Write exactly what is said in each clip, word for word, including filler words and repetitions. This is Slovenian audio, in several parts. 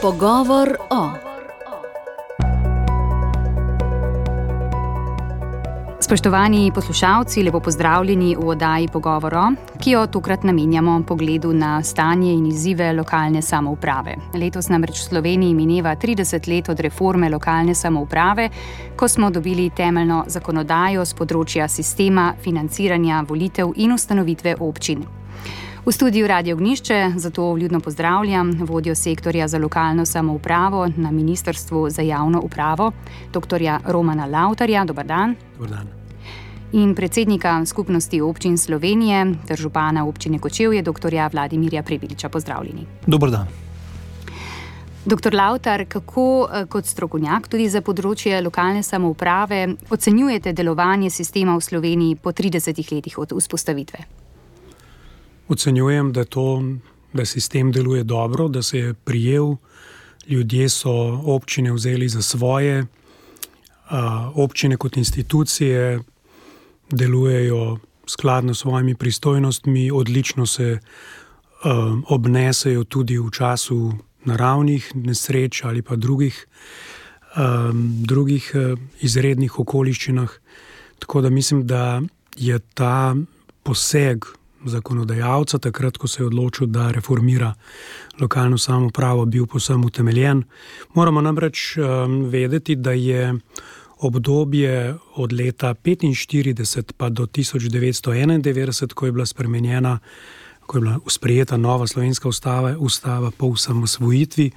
Pogovor o. Spoštovani poslušalci, lepo pozdravljeni v oddaji Pogovor o, ki jo tokrat namenjamo pogledu na stanje in izzive lokalne samouprave. Letos namreč v Sloveniji mineva trideset let od reforme lokalne samouprave, ko smo dobili temeljno zakonodajo z področja sistema, financiranja, volitev in ustanovitve občin. V studiu Radio Ognjišče zato vljudno pozdravljam vodjo sektorja za lokalno samoupravo na Ministrstvu za javno upravo, doktorja Romana Lavtarja. Dobar dan. Dobar dan. In predsednika Skupnosti občin Slovenije ter župana občine Kočevje, doktorja Vladimirja Prebiliča. Pozdravljeni. Dobar dan. Doktor Lavtar, kako kot strokovnjak tudi za področje lokalne samouprave ocenjujete delovanje sistema v Sloveniji po tridesetih letih od vzpostavitve? Ocenjujem, da, to, da sistem deluje dobro, da se je prijel, ljudje so občine vzeli za svoje, občine kot institucije delujejo skladno s svojimi pristojnostmi, odlično se obnesejo tudi v času naravnih nesreč ali pa drugih, drugih izrednih okoliščinah. Tako da mislim, da je ta poseg zakonodajalca, takrat, ko se je odločil, da reformira lokalno samoupravo, bil povsem utemeljen. Moramo namreč um, vedeti, da je obdobje od leta petinštirideset pa do tisoč devetsto enaindevetdeset, ko je bila spremenjena, ko je bila sprejeta nova slovenska ustava, ustava po osamosvojitvi,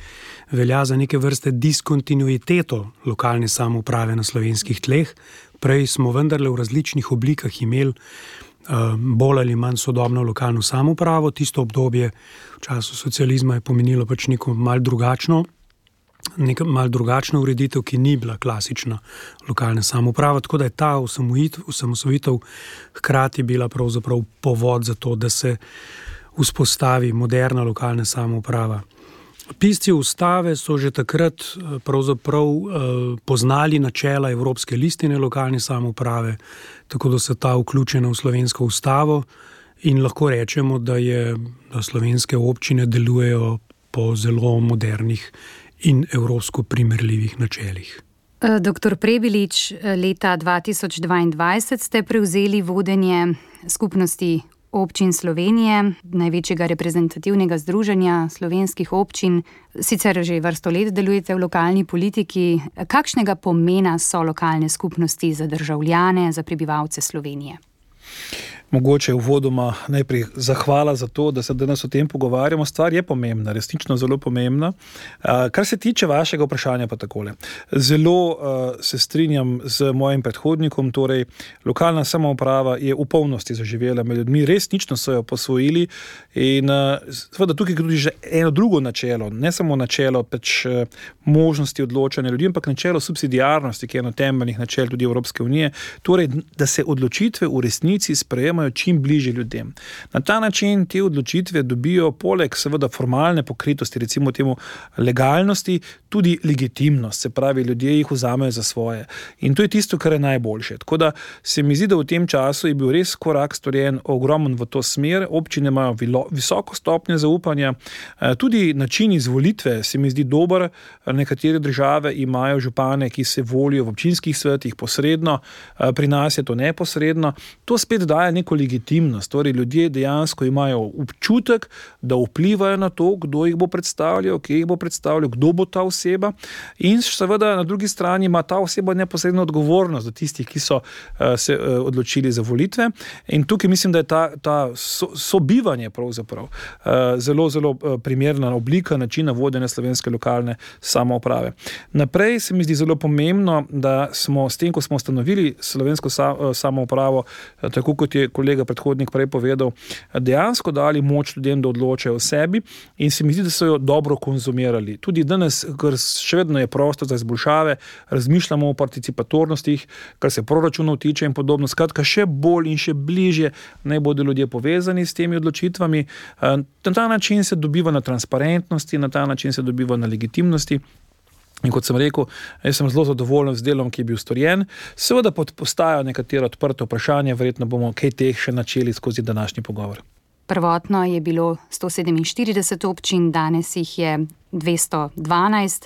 velja za neke vrste diskontinuiteto lokalne samouprave na slovenskih tleh. Prej smo vendarle v različnih oblikah imeli bolj ali manj sodobno lokalno samoupravo. Tisto obdobje v času socializma je pomenilo pač neko malo drugačno, neko malo drugačno ureditev, ki ni bila klasična lokalna samouprava, tako da je ta osamosvojitev hkrati bila pravzaprav povod za to, da se vzpostavi moderna lokalna samouprava. Pisci ustave so že takrat pravzaprav poznali načela Evropske listine lokalne samouprave, tako da so ta vključena v slovensko ustavo in lahko rečemo, da, je, da slovenske občine delujejo po zelo modernih in evropsko primerljivih načelih. Doktor Prebilič, leta dva tisoč dvaindvajset ste prevzeli vodenje skupnosti občin Slovenije, največjega reprezentativnega združenja slovenskih občin. Sicer že vrsto let delujete v lokalni politiki. Kakšnega pomena so lokalne skupnosti za državljane, za prebivalce Slovenije? Mogoče uvodoma najprej zahvala za to, da se danes o tem pogovarjamo. Stvar je pomembna, resnično zelo pomembna. Kar se tiče vašega vprašanja pa takole. Zelo se strinjam z mojim predhodnikom, torej lokalna samouprava je v polnosti zaživela med ljudmi, resnično so jo posvojili in seveda tukaj tudi že eno drugo načelo, ne samo načelo pač možnosti odločanja ljudi, ampak načelo subsidiarnosti, ki je eno temeljnih načel tudi Evropske unije, torej da se odločitve v resnici sprejemajo čim bližje ljudem. Na ta način te odločitve dobijo poleg seveda formalne pokritosti, recimo temu legalnosti, tudi legitimnost, se pravi, ljudje jih vzamejo za svoje. In to je tisto, kar je najboljše. Tako da se mi zdi, da v tem času je bil res korak storjen ogromen v to smer. Občine imajo visoko stopnjo zaupanja, tudi način izvolitve se mi zdi dober. Nekatere države imajo župane, ki se volijo v občinskih svetih posredno, pri nas je to neposredno. To spet daje neko legitimnost, torej ljudje dejansko imajo občutek, da vplivajo na to, kdo jih bo predstavljal, kje jih bo predstavljal, kdo bo ta oseba in seveda na drugi strani ima ta oseba neposredno odgovornost do tistih, ki so uh, se uh, odločili za volitve in tukaj mislim, da je ta, ta so, sobivanje pravzaprav uh, zelo, zelo uh, primerna oblika načina vodenja slovenske lokalne samouprave. Naprej se mi zdi zelo pomembno, da smo s tem, ko smo ustanovili slovensko sa, uh, samoupravo, uh, tako kot je kolega predhodnik prej povedal, dejansko dali moč ljudem, da odločajo o sebi in se mi zdi, da so jo dobro konzumirali. Tudi danes, ker še vedno je prostor za izboljšave, razmišljamo o participatornostih, kar se proračunov tiče in podobno. Skratka, še bolj in še bližje naj bodo ljudje povezani s temi odločitvami. Na ta način se dobiva na transparentnosti, na ta način se dobiva na legitimnosti. In kot sem rekel, jaz sem zelo zadovoljen z delom, ki je bil storjen. Seveda postajajo nekatera odprta vprašanja, verjetno bomo kaj teh še načeli skozi današnji pogovor. Prvotno je bilo sto sedeminštirideset občin, danes jih je dvesto dvanajst.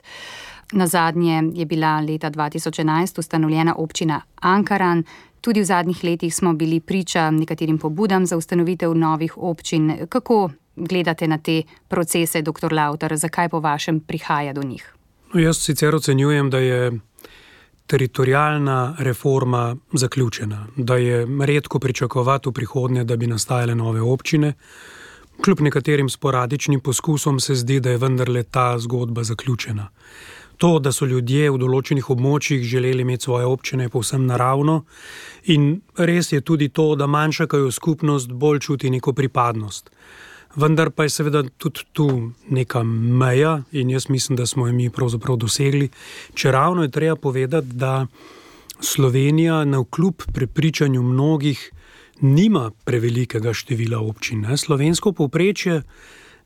Nazadnje je bila leta dva tisoč enajst ustanovljena občina Ankaran. Tudi v zadnjih letih smo bili priča nekaterim pobudam za ustanovitev novih občin. Kako gledate na te procese, doktor Lavtar? Zakaj po vašem prihaja do njih? No, jaz sicer ocenjujem, da je teritorijalna reforma zaključena, da je redko pričakovati v prihodnje, da bi nastajale nove občine. Kljub nekaterim sporadičnim poskusom se zdi, da je vendarle ta zgodba zaključena. To, da so ljudje v določenih območjih želeli imeti svoje občine, je povsem naravno in res je tudi to, da manjša kot skupnost bolj čuti neko pripadnost. Vendar pa je seveda tudi tu neka meja in jaz mislim, da smo jo mi pravzaprav dosegli. Čeravno je treba povedati, da Slovenija navkljub prepričanju mnogih nima prevelikega števila občin. Ne? Slovensko povprečje,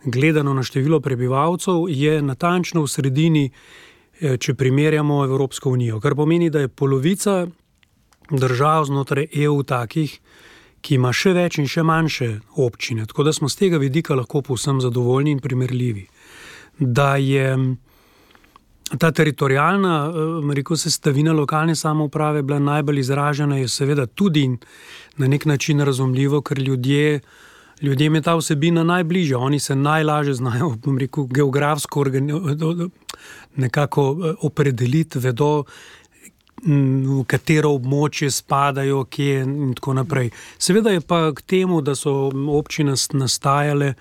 gledano na število prebivalcev, je natančno v sredini, če primerjamo Evropsko unijo, kar pomeni, da je polovica držav znotraj E U takih, ki ima še več in še manjše občine, tako da smo z tega vidika lahko povsem zadovoljni in primerljivi. Da je ta teritorijalna, rekel sestavina lokalne samouprave bila najbolj izražena, je seveda tudi na nek način razumljivo, ker ljudje, ljudem je ta vsebina najbližja, oni se najlažje znajo, bom rekel, geografsko nekako opredeliti, vedo, v katero območje spadajo, kje in tako naprej. Seveda je pa k temu, da so občine nastajale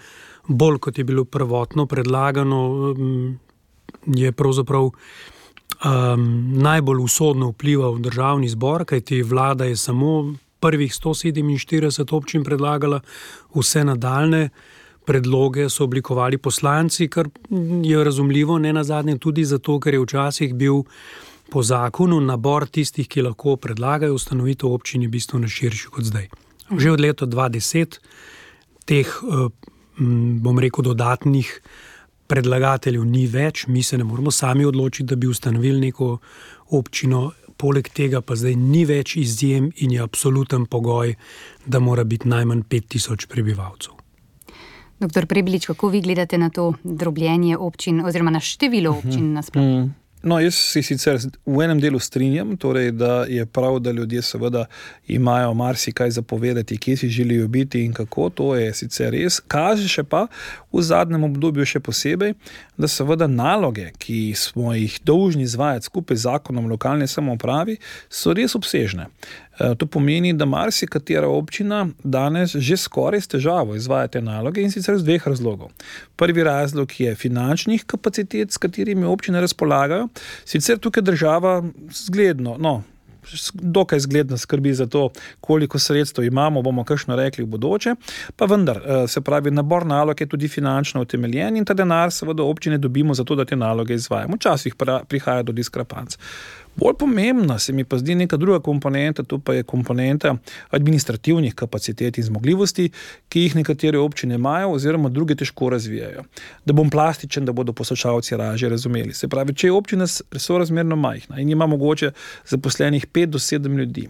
bolj, kot je bilo prvotno predlagano, je pravzaprav um, najbolj usodno vplival državni zbor, kajti vlada je samo prvih sto sedeminštirideset občin predlagala, vse nadaljne predloge so oblikovali poslanci, kar je razumljivo, ne nazadnje tudi zato, ker je včasih bil po zakonu nabor tistih, ki lahko predlagajo ustanovitev občini bistveno širši kot zdaj. Že od leta dva tisoč deset teh, bom rekel, dodatnih predlagateljev ni več, mi se ne moramo sami odločiti, da bi ustanovili neko občino, poleg tega pa zdaj ni več izjem in je absoluten pogoj, da mora biti najmanj pet tisoč prebivalcev. Doktor Prebilič, kako vi gledate na to drobljenje občin oziroma na število občin nasploh? No, jaz si sicer v enem delu strinjam, torej, da je prav, da ljudje seveda imajo marsikaj zapovedati, kje si želijo biti in kako, to je sicer res. Kaže še pa v zadnjem obdobju še posebej, da seveda naloge, ki smo jih dolžni izvajati skupaj z zakonom lokalne samoupravi, so res obsežne. To pomeni, da marsikatera občina danes že skoraj s težavo izvaja te naloge in sicer z dveh razlogov. Prvi razlog je finančnih kapacitet, s katerimi občine razpolagajo. Sicer tukaj država zgledno, no, dokaj zgledno skrbi za to, koliko sredstev imamo, bomo kakšno rekli v bodoče, pa vendar, se pravi, nabor nalog je tudi finančno utemeljen in ta denar seveda občine dobimo za to, da te naloge izvajamo. Včasih prihaja do diskrepanc. Bolj pomembna se mi pa zdi neka druga komponenta, to pa je komponenta administrativnih kapacitet in zmogljivosti, ki jih nekatere občine imajo oziroma druge težko razvijajo. Da bom plastičen, da bodo poslušalci lažje razumeli. Se pravi, če je občina sorazmerno majhna in ima mogoče zaposlenih pet do sedem ljudi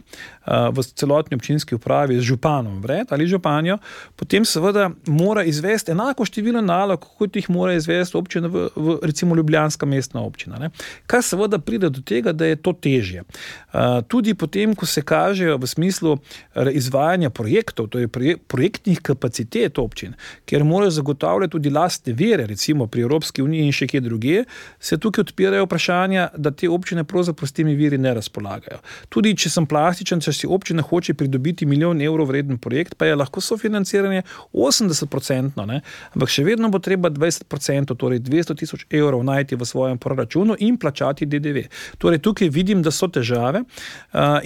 v celotni občinski upravi z županom vred ali županjo, potem seveda mora izvesti enako število nalog, kot jih mora izvesti občina v, v recimo Ljubljanska mestna občina. Ne? Kar seveda pride do tega, da je to težje. Tudi potem, ko se kažejo v smislu izvajanja projektov, to je projektnih kapacitet občin, kjer morajo zagotavljati tudi lastne vire, recimo pri Evropski uniji in še kje druge, se tukaj odpirajo vprašanja, da te občine pravzaprav s temi viri ne razpolagajo. Tudi, če sem plastičen, če si občina hoče pridobiti milijon evrov vreden projekt, pa je lahko sofinanciranje osemdeset procentno, ne? Ampak še vedno bo treba dvajset procentov, torej dvesto tisoč evrov najti v svojem proračunu in plačati D D V. Torej, tukaj vidim, da so težave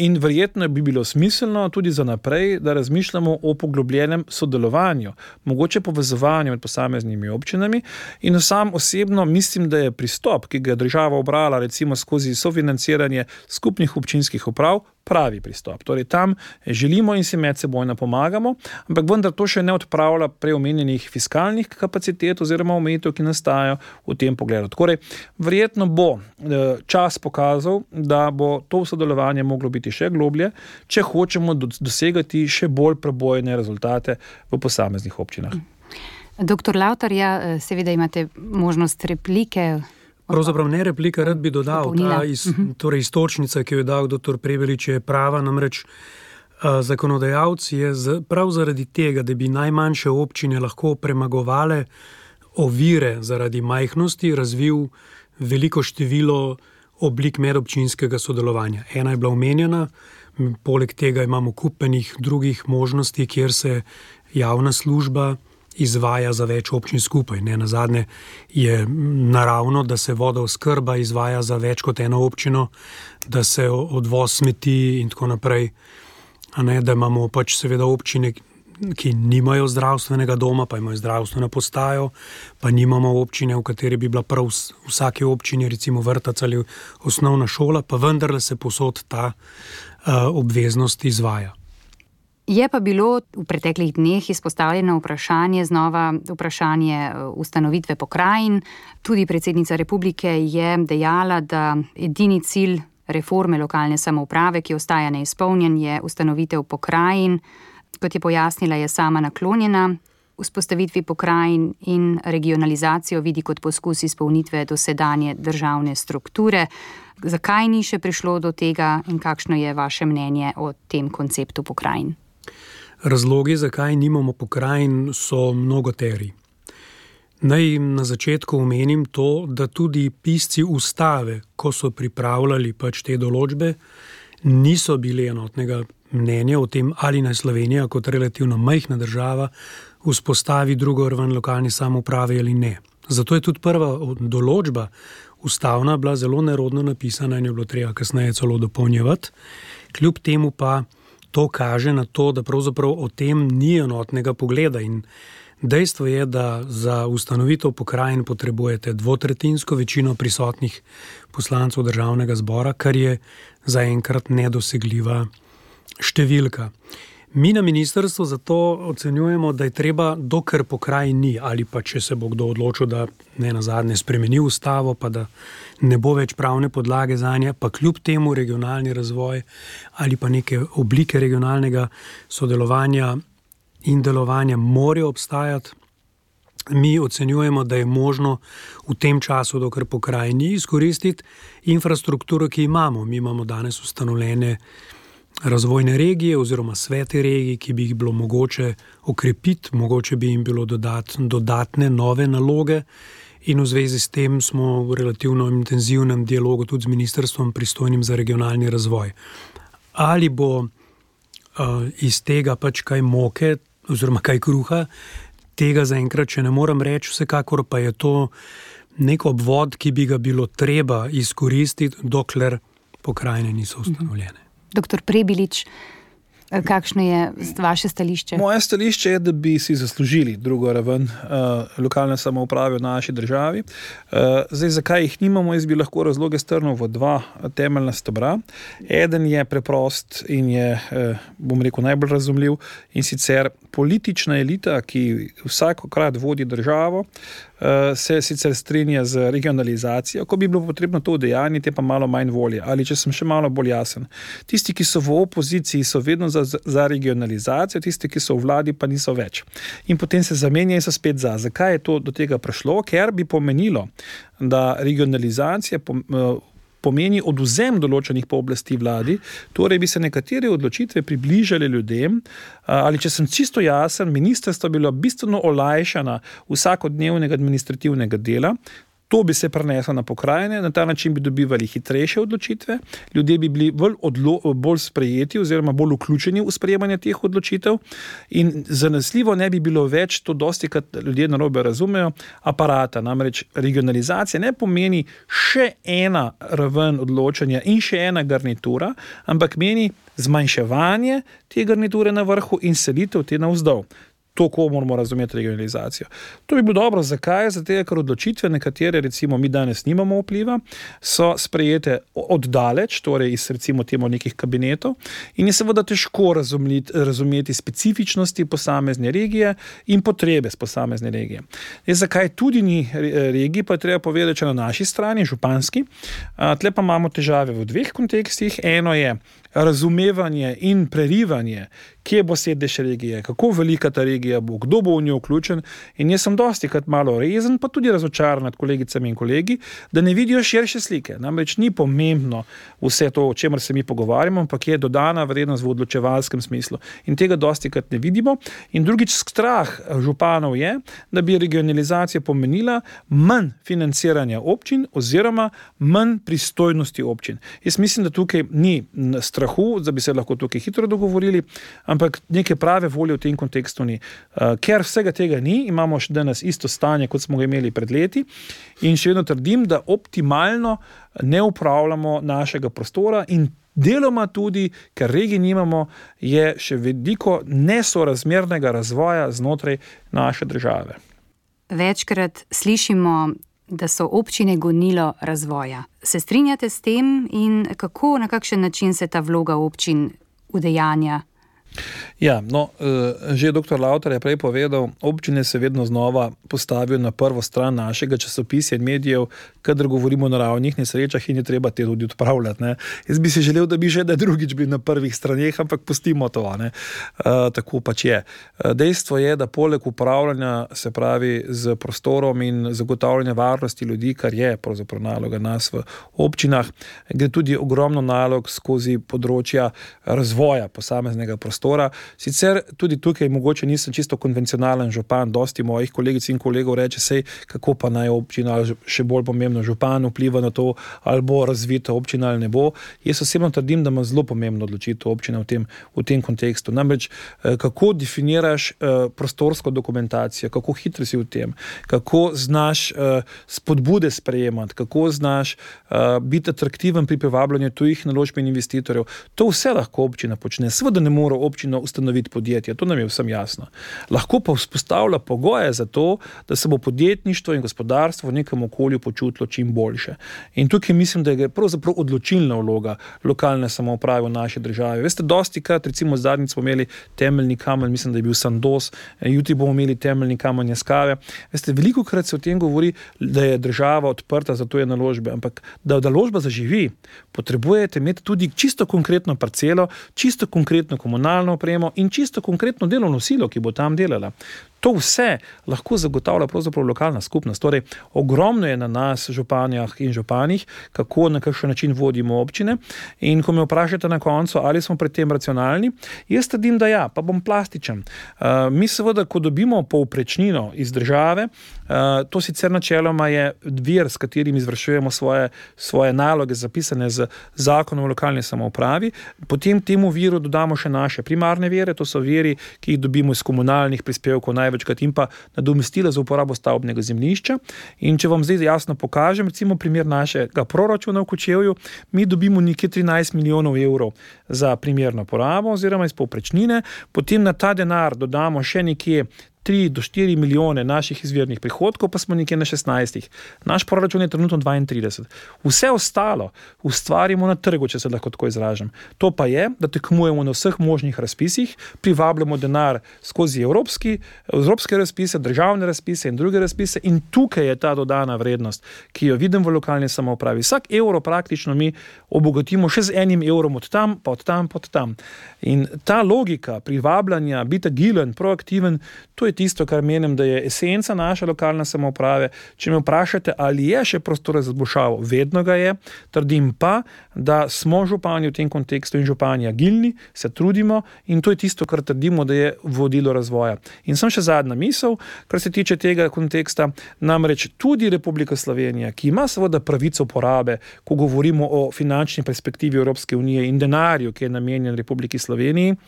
in verjetno bi bilo smiselno tudi za naprej, da razmišljamo o poglobljenem sodelovanju, mogoče povezovanju med posameznimi občinami in sam osebno mislim, da je pristop, ki ga je država obrala recimo skozi sofinanciranje skupnih občinskih uprav, pravi pristop. Torej, tam želimo in si medsebojno pomagamo, ampak vendar to še ne odpravlja preomenjenih fiskalnih kapacitet oziroma omejitev, ki nastajajo v tem pogledu. Torej, verjetno bo čas pokazal, da bo to sodelovanje moglo biti še globlje, če hočemo dosegati še bolj prebojne rezultate v posameznih občinah. Doktor Lavtar, ja, seveda imate možnost replike. Pravzaprav ne replika, rad bi dodal, ta iz, torej istočnica, ki jo je dal doktor Prebilič, je prava, namreč uh, zakonodajalec je z, prav zaradi tega, da bi najmanjše občine lahko premagovale ovire zaradi majhnosti, razvil veliko število oblik medobčinskega sodelovanja. Ena je bila omenjena, poleg tega imamo kupenih drugih možnosti, kjer se javna služba izvaja za več občin skupaj. Ne, nazadnje je naravno, da se vodooskrba izvaja za več kot eno občino, da se odvoz smeti in tako naprej. A ne, da imamo pač seveda občine, ki nimajo zdravstvenega doma, pa imajo zdravstveno postajo, pa nimamo občine, v kateri bi bila prav v vsaki občini recimo vrtec ali osnovna šola, pa vendarle se povsod ta uh, obveznost izvaja. Je pa bilo v preteklih dneh izpostavljeno vprašanje, znova vprašanje ustanovitve pokrajin. Tudi predsednica republike je dejala, da edini cilj reforme lokalne samouprave, ki ostaja neizpolnjen, je ustanovitev pokrajin. Kot je pojasnila, je sama naklonjena vzpostavitvi pokrajin in regionalizacijo vidi kot poskus izpolnitve dosedanje državne strukture. Zakaj ni še prišlo do tega in kakšno je vaše mnenje o tem konceptu pokrajin? Razlogi, zakaj nimamo pokrajin, so mnogoteri. Naj na začetku omenim to, da tudi pisci ustave, ko so pripravljali pač te določbe, niso bili enotnega mnenja o tem, ali naj Slovenija kot relativno majhna država vzpostavi drugo raven lokalne samouprave ali ne. Zato je tudi prva določba ustavna bila zelo nerodno napisana in je bilo treba kasneje celo dopolnjevati. Kljub temu pa to kaže na to, da pravzaprav o tem ni enotnega pogleda in dejstvo je, da za ustanovitev pokrajin potrebujete dvotretjinsko večino prisotnih poslancev državnega zbora, kar je zaenkrat nedosegljiva številka. Mi na ministrstvu zato ocenjujemo, da je treba, dokler pokrajin ni, ali pa če se bo kdo odločil, da ne nazadnje spremeni ustavo, pa da ne bo več pravne podlage zanje, pa kljub temu regionalni razvoj ali pa neke oblike regionalnega sodelovanja in delovanja morajo obstajati. Mi ocenjujemo, da je možno v tem času, dokler pokrajin ni, izkoristiti infrastrukturo, ki imamo. Mi imamo danes ustanovljene razvojne regije oziroma svete regij, ki bi jih bilo mogoče okrepiti, mogoče bi jim bilo dodati dodatne nove naloge in v zvezi s tem smo v relativno intenzivnem dialogu tudi z ministrstvom pristojnim za regionalni razvoj. Ali bo uh, iz tega pač kaj moke oziroma kaj kruha, tega zaenkrat še ne morem reči, vsekakor pa je to nek obvod, ki bi ga bilo treba izkoristiti, dokler pokrajine niso ustanovljene. Doktor Prebilič, kakšno je vaše stališče? Moje stališče je, da bi si zaslužili drugo raven uh, lokalne samouprave v naši državi. Uh, zdaj, zakaj jih nimamo, jaz bi lahko razloge strnil v dva temeljna stebra. Eden je preprost in je, uh, bom rekel, najbolj razumljiv, in sicer politična elita, ki vsakokrat vodi državo, se sicer strinja z regionalizacijo, ko bi bilo potrebno to udejanjiti, je pa malo manj volje. Ali če sem še malo bolj jasen. Tisti, ki so v opoziciji, so vedno za, za regionalizacijo, tisti, ki so v vladi, pa niso več. In potem se zamenjajo in so spet za. Zakaj je to do tega prišlo? Ker bi pomenilo, da regionalizacija pomeni odvzem določenih pooblasti vladi, torej bi se nekatere odločitve približali ljudem, ali če sem čisto jasen, ministrstvo bilo bistveno olajšana vsakodnevnega administrativnega dela, to bi se preneslo na pokrajine, na ta način bi dobivali hitrejše odločitve, ljudje bi bili bolj, odlo, bolj sprejeti oziroma bolj vključeni v sprejemanje teh odločitev in zanesljivo ne bi bilo več, to dosti, kad ljudje narobe razumejo, aparata. Namreč regionalizacija ne pomeni še ena raven odločanja in še ena garnitura, ampak meni zmanjševanje te garniture na vrhu in selitev te navzdol. To, ko moramo razumeti regionalizacijo. To bi bilo dobro. Zakaj? Zato, ker odločitve, nekatere, recimo mi danes nimamo vpliva, so sprejete oddaleč, torej iz recimo temu nekih kabinetov in je seveda težko razumeti, razumeti specifičnosti posamezne regije in potrebe z posamezne regije. Je, zakaj tudi ni regij, pa je treba povedati, če na naši strani, županski, tle pa imamo težave v dveh kontekstih. Eno je razumevanje in prerivanje, kje bo sedež regije, kako velika ta regija bo, kdo bo v njo vključen, in jaz sem dosti krat malo rezen, pa tudi razočaran nad kolegicami in kolegi, da ne vidijo širše slike. Namreč ni pomembno vse to, o čemer se mi pogovarjamo, ampak je dodana vrednost v odločevalskem smislu. In tega dosti krat ne vidimo. In drugič, strah županov je, da bi regionalizacija pomenila manj financiranja občin oziroma manj pristojnosti občin. Jaz mislim, da tukaj ni strahu, da bi se lahko tukaj hitro dogovorili, ampak neke prave volje v tem kontekstu ni. Ker vsega tega ni, imamo še danes isto stanje, kot smo ga imeli pred leti, in še vedno trdim, da optimalno ne upravljamo našega prostora in deloma tudi, ker regij nimamo, je še veliko nesorazmernega razvoja znotraj naše države. Večkrat slišimo, da so občine gonilo razvoja. Se strinjate s tem in kako, na kakšen način se ta vloga občin udejanja? Ja, no, že doktor Lavtar je prej povedal, občine se vedno znova postavijo na prvo stran našega časopisja in medijev, kadar govorimo o naravnih nesrečah in je treba te tudi odpravljati. Ne. Jaz bi si želel, da bi že da drugič bili na prvih straneh, ampak pustimo to. Ne. Uh, tako pač je. Dejstvo je, da poleg upravljanja, se pravi, z prostorom in zagotavljanja varnosti ljudi, kar je pravzaprav naloga nas v občinah, gre tudi ogromno nalog skozi področja razvoja posameznega prostora. Sicer tudi tukaj mogoče nisem čisto konvencionalen župan, dosti mojih kolegic in kolegov reče sej, kako pa naj občina, še bolj pomembno župan vpliva na to, ali bo razvita občina ali ne bo. Jaz osebno trdim, da ima zelo pomembno odločitev občina v tem, v tem kontekstu. Namreč, kako definiraš prostorsko dokumentacijo, kako hitro si v tem, kako znaš spodbude sprejemati, kako znaš biti atraktiven pri privabljanju tujih naložb in investitorjev. To vse lahko občina počne. Seveda ne more občina ustanoviti podjetja, to nam je vsem jasno. Lahko pa vzpostavlja pogoje za to, da se bo podjetništvo in gospodarstvo v nekem okolju počutilo čim boljše. In tukaj mislim, da je pravzaprav odločilna vloga lokalne samouprave v naši državi. Veste, dosti krat, recimo zadnjič smo imeli temeljni kamen, mislim, da je bil Sandoz, jutri bomo imeli temeljni kamen Jaskave. Veste, veliko krat se o tem govori, da je država odprta za tuje naložbe, ampak da naložba zaživi, potrebujete imeti tudi čisto konkretno parcelo, čisto konkretno komunalno opremo in čisto konkretno delovno silo, ki bo tam delala. To vse lahko zagotavlja pravzaprav lokalna skupnost. Torej, ogromno je na nas, županjah in županih, kako na kakšen način vodimo občine. In ko me vprašate na koncu, ali smo pri tem racionalni, jaz trdim, da ja, pa bom plastičen. Uh, mi seveda, ko dobimo povprečnino iz države, uh, to sicer načeloma je vir, s katerim izvršujemo svoje, svoje naloge zapisane z zakonom o lokalni samoupravi, potem temu viru dodamo še naše primarne vire, to so viri, ki jih dobimo iz komunalnih prispevkov, največkrat in pa nadomestila za uporabo stavbnega zemljišča. In če vam zdaj jasno pokažem, recimo primer našega proračuna v Kočevju, mi dobimo nekje trinajst milijonov evrov za primerno porabo oziroma iz povprečnine, potem na ta denar dodamo še nekje tri do štiri milijone naših izvirnih prihodkov, pa smo nekje na šestnajstih. Naš proračun je trenutno dvaintrideset. Vse ostalo ustvarimo na trgu, če se lahko tako izražam. To pa je, da tekmujemo na vseh možnih razpisih, privabljamo denar skozi evropski, evropske razpise, državne razpise in druge razpise in tukaj je ta dodana vrednost, ki jo vidim v lokalni samoupravi. Vsak evro praktično mi obogatimo še z enim evrom od tam, pa od tam, pa od tam. In ta logika privabljanja, biti agilen, proaktiven, to je tisto, kar menim, da je esenca naše lokalne samouprave. Če me vprašate, ali je še prostor za izboljšavo, vedno ga je. Trdim pa, da smo župani v tem kontekstu in župani agilni, se trudimo in to je tisto, kar trdimo, da je vodilo razvoja. In sem še zadnja misel, kar se tiče tega konteksta, namreč tudi Republika Slovenija, ki ima seveda pravico porabe, ko govorimo o finančni perspektivi Evropske unije in denarju, ki je namenjen Republiki Sloveniji,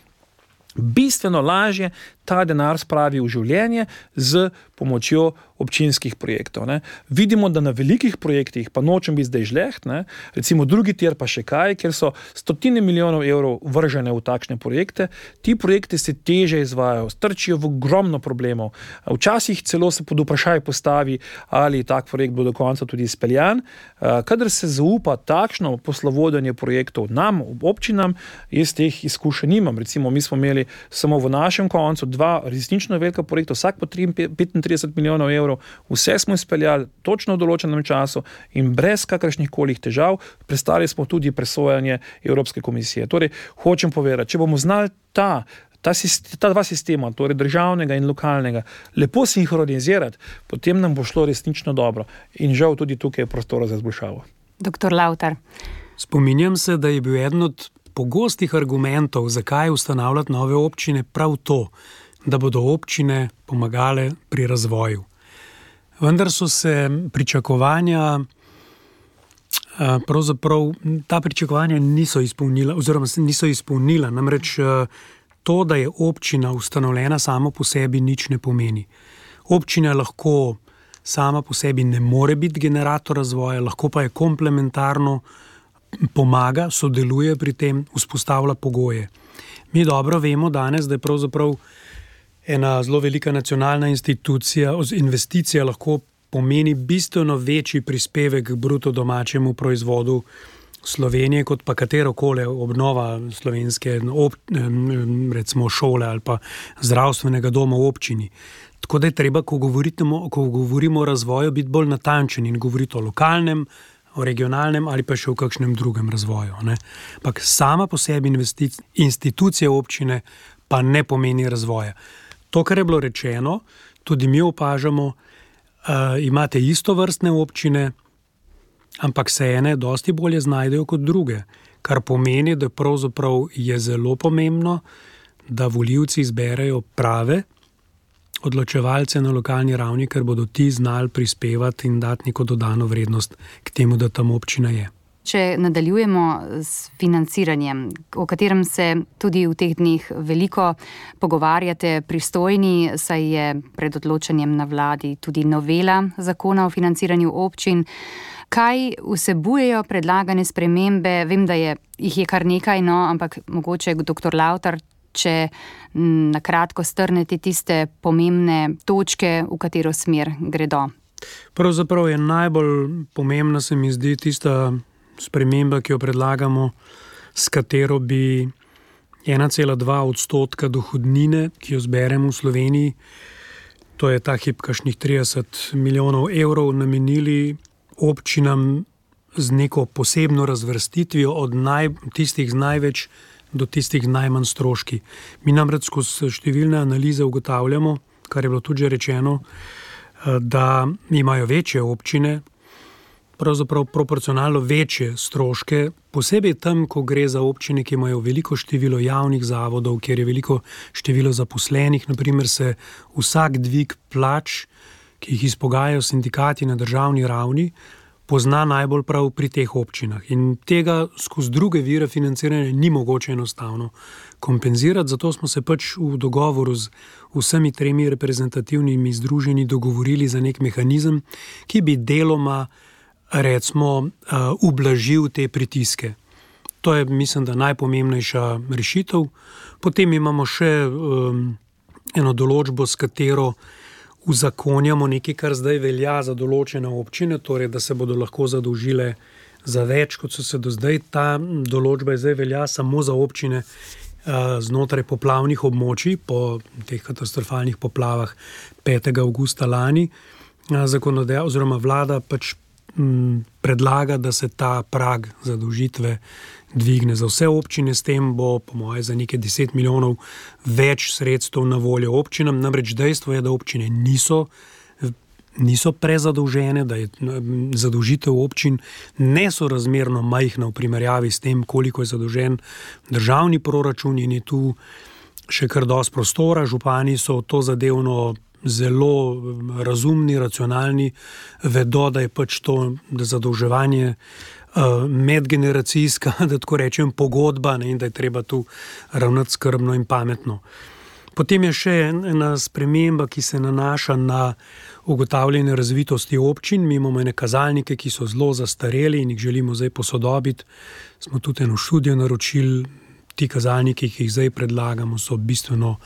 bistveno lažje ta denar spravi v življenje z pomočjo občinskih projektov. Ne. Vidimo, da na velikih projektih, pa nočem biti zdaj žleht, ne, recimo drugi tir pa še kaj, kjer so stotine milijonov evrov vržene v takšne projekte, ti projekti se teže izvajajo, strčijo v ogromno problemov. Včasih celo se pod vprašaj postavi, ali tak projekt bo do konca tudi izpeljan. Kadar se zaupa takšno poslovodenje projektov nam, občinam, jaz teh izkušenj nimam. Recimo, mi smo imeli samo v našem koncu dva resnično velika projekta, vsak po petintrideset milijonov evrov, vse smo izpeljali točno v določenem času in brez kakršnih kolih težav, prestali smo tudi presojanje Evropske komisije. Torej, hočem povedati, če bomo znali ta, ta, ta dva sistema, torej državnega in lokalnega, lepo sinhronizirati, potem nam bo šlo resnično dobro. In žal tudi tukaj je prostora za izboljšavo. Doktor Lavtar. Spominjam se, da je bil eden od pogostih argumentov, zakaj ustanavljati nove občine, prav to, da bodo občine pomagale pri razvoju. Vendar so se pričakovanja, pravzaprav ta pričakovanja niso izpolnila, oziroma niso izpolnila. Namreč to, da je občina ustanovljena samo po sebi, nič ne pomeni. Občina lahko sama po sebi ne more biti generator razvoja, lahko pa je komplementarno pomaga, sodeluje pri tem, vzpostavlja pogoje. Mi dobro vemo danes, da je pravzaprav ena zelo velika nacionalna institucija, investicija lahko pomeni bistveno večji prispevek k bruto domačemu proizvodu Slovenije, kot pa katerokoli obnova slovenske ob, recimo šole ali pa zdravstvenega doma v občini. Tako da je treba, ko govorimo, ko govorimo o razvoju, biti bolj natančen in govoriti o lokalnem, o regionalnem ali pa še o kakšnem drugem razvoju. Ne? Pak sama po sebi institucija občine pa ne pomeni razvoja. To, kar je bilo rečeno, tudi mi opažamo, uh, imate istovrstne občine, ampak se ene dosti bolje znajdejo kot druge, kar pomeni, da pravzaprav je zelo pomembno, da volivci izberejo prave odločevalce na lokalni ravni, ker bodo ti znali prispevati in dati neko dodano vrednost k temu, da tam občina je. Če nadaljujemo s financiranjem, o katerem se tudi v teh dneh veliko pogovarjate pristojni, saj je pred odločanjem na vladi tudi novela zakona o financiranju občin. Kaj vsebujejo predlagane spremembe? Vem, da je, jih je kar nekaj, no, ampak mogoče doktor Lavtar, če na kratko strnete tiste pomembne točke, v katero smer gredo. Pravzaprav je najbolj pomembna, se mi zdi, tista sprememba, ki jo predlagamo, s katero bi ena cela dva odstotka dohodnine, ki jo zberemo v Sloveniji, to je ta hip kakšnih trideset milijonov evrov, namenili občinam z neko posebno razvrstitvijo od naj, tistih z največ do tistih najmanj stroški. Mi namreč skozi številne analize ugotavljamo, kar je bilo tudi že rečeno, da imajo večje občine, pravzaprav proporcionalno večje stroške, posebej tam, ko gre za občine, ki imajo veliko število javnih zavodov, kjer je veliko število zaposlenih, naprimer se vsak dvig plač, ki jih izpogajajo sindikati na državni ravni, pozna najbolj prav pri teh občinah. In tega skozi druge vire financiranja ni mogoče enostavno kompenzirati, zato smo se pač v dogovoru z vsemi tremi reprezentativnimi združenji dogovorili za nek mehanizem, ki bi deloma recimo ublažil te pritiske. To je, mislim, da najpomembnejša rešitev. Potem imamo še um, eno določbo, s katero uzakonjamo nekaj, kar zdaj velja za določene občine, torej da se bodo lahko zadolžile za več, kot so se do zdaj. Ta določba je zdaj velja samo za občine uh, znotraj poplavnih območij, po teh katastrofalnih poplavah petega avgusta lani. Uh, zakonodaja oziroma vlada pač um, predlaga, da se ta prag zadolžitve dvigne za vse občine, s tem bo, po moje, za nekaj deset milijonov več sredstev na voljo občinam. Namreč dejstvo je, da občine niso, niso prezadolžene, da je zadolžitev občin nesorazmerno majhna v primerjavi s tem, koliko je zadolžen državni proračun, in je tu še kar dosti prostora. Župani so to zadevno zelo razumni, racionalni, vedo, da je pač to da zadolževanje medgeneracijska, da tako rečem, pogodba, ne, in da je treba tu ravnati skrbno in pametno. Potem je še ena sprememba, ki se nanaša na ugotavljanje razvitosti občin. Mi imamo ene kazalnike, ki so zelo zastareli in jih želimo zdaj posodobiti. Smo tudi eno študijo naročili. Ti kazalniki, ki jih zdaj predlagamo, so bistveno,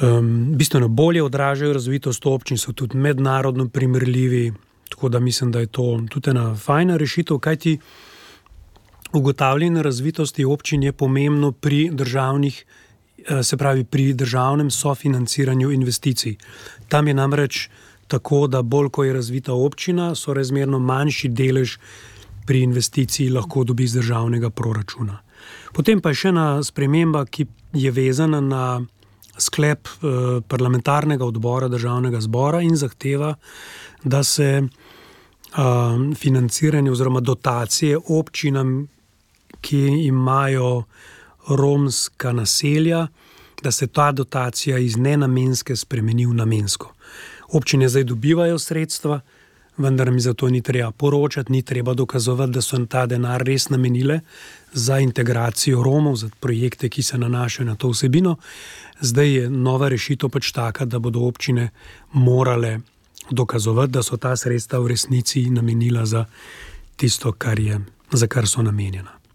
um, bistveno bolje odražajo razvitost občin, so tudi mednarodno primerljivi. Tako da mislim, da je to tudi ena fajna rešitev, kajti ugotavljanje razvitosti občin je pomembno pri državnih, se pravi pri državnem sofinanciranju investicij. Tam je namreč tako, da bolj ko je razvita občina, so razmerno manjši delež pri investiciji lahko dobi iz državnega proračuna. Potem pa je še ena sprememba, ki je vezana na sklep eh, parlamentarnega odbora državnega zbora in zahteva, da se eh, financiranje oziroma dotacije občinam, ki imajo romska naselja, da se ta dotacija iz nenamenske spremeni v namensko. Občine zdaj dobivajo sredstva, vendar mi za to ni treba poročati, ni treba dokazovati, da so ta denar res namenile za integracijo Romov, za projekte, ki se nanašajo na to vsebino. Zdaj je nova rešitev pač taka, da bodo občine morale dokazovati, da so ta sredstva v resnici namenila za tisto, kar je, za kar so namenjena.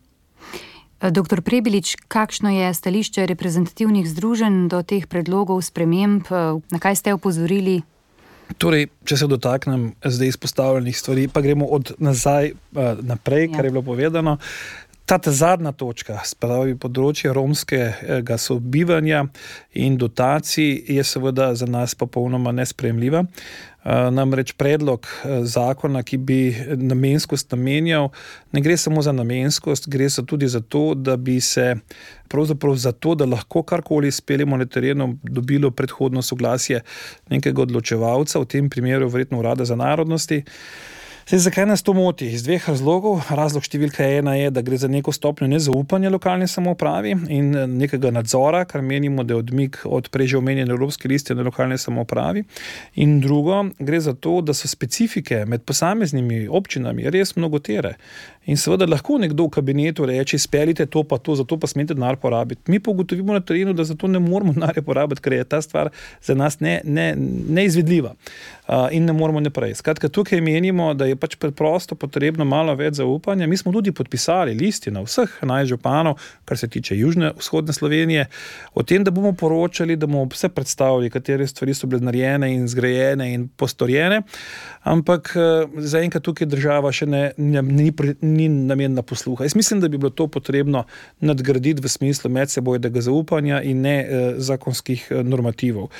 Doktor Prebilič, kakšno je stališče reprezentativnih združenj do teh predlogov sprememb? Na kaj ste opozorili? Torej, če se dotaknem zdaj izpostavljenih stvari, pa gremo od nazaj naprej, ja. Kar je bilo povedano. Ta zadnja točka, spravi področje romskega sobivanja in dotacij, je seveda za nas popolnoma nesprejemljiva. Namreč predlog zakona, ki bi namenskost namenjal, ne gre samo za namenskost, gre se tudi za to, da bi se pravzaprav za to, da lahko karkoli speljemo na terenu, dobilo predhodno soglasje nekega odločevalca, v tem primeru verjetno Urada za narodnosti. Zdaj, zakaj nas to moti? Iz dveh razlogov. Razlog številka ena je, da gre za neko stopnjo nezaupanja lokalne samoupravi in nekega nadzora, kar menimo, da je odmik od prej že omenjene Evropske listine na lokalne samoupravi. In drugo, gre za to, da so specifike med posameznimi občinami res mnogotere. In seveda lahko nekdo v kabinetu reče, speljite to pa to, zato pa smete denar porabiti. Mi pa ugotovimo na terenu, da zato ne moramo denarja porabiti, ker je ta stvar za nas ne, ne, neizvedljiva uh, in ne moramo naprej. Skratka, tukaj menimo, da je pač preprosto potrebno malo več zaupanja. Mi smo tudi podpisali listino vseh enajst županov, kar se tiče južne, vzhodne Slovenije, o tem, da bomo poročali, da bomo vse predstavili, katere stvari so bile narejene in zgrajene in postorjene, ampak zaenkrat tukaj država še ne, ne, ni, ni namenjena posluha. Jaz mislim, da bi bilo to potrebno nadgraditi v smislu medsebojnega zaupanja in ne eh, zakonskih eh, normativov.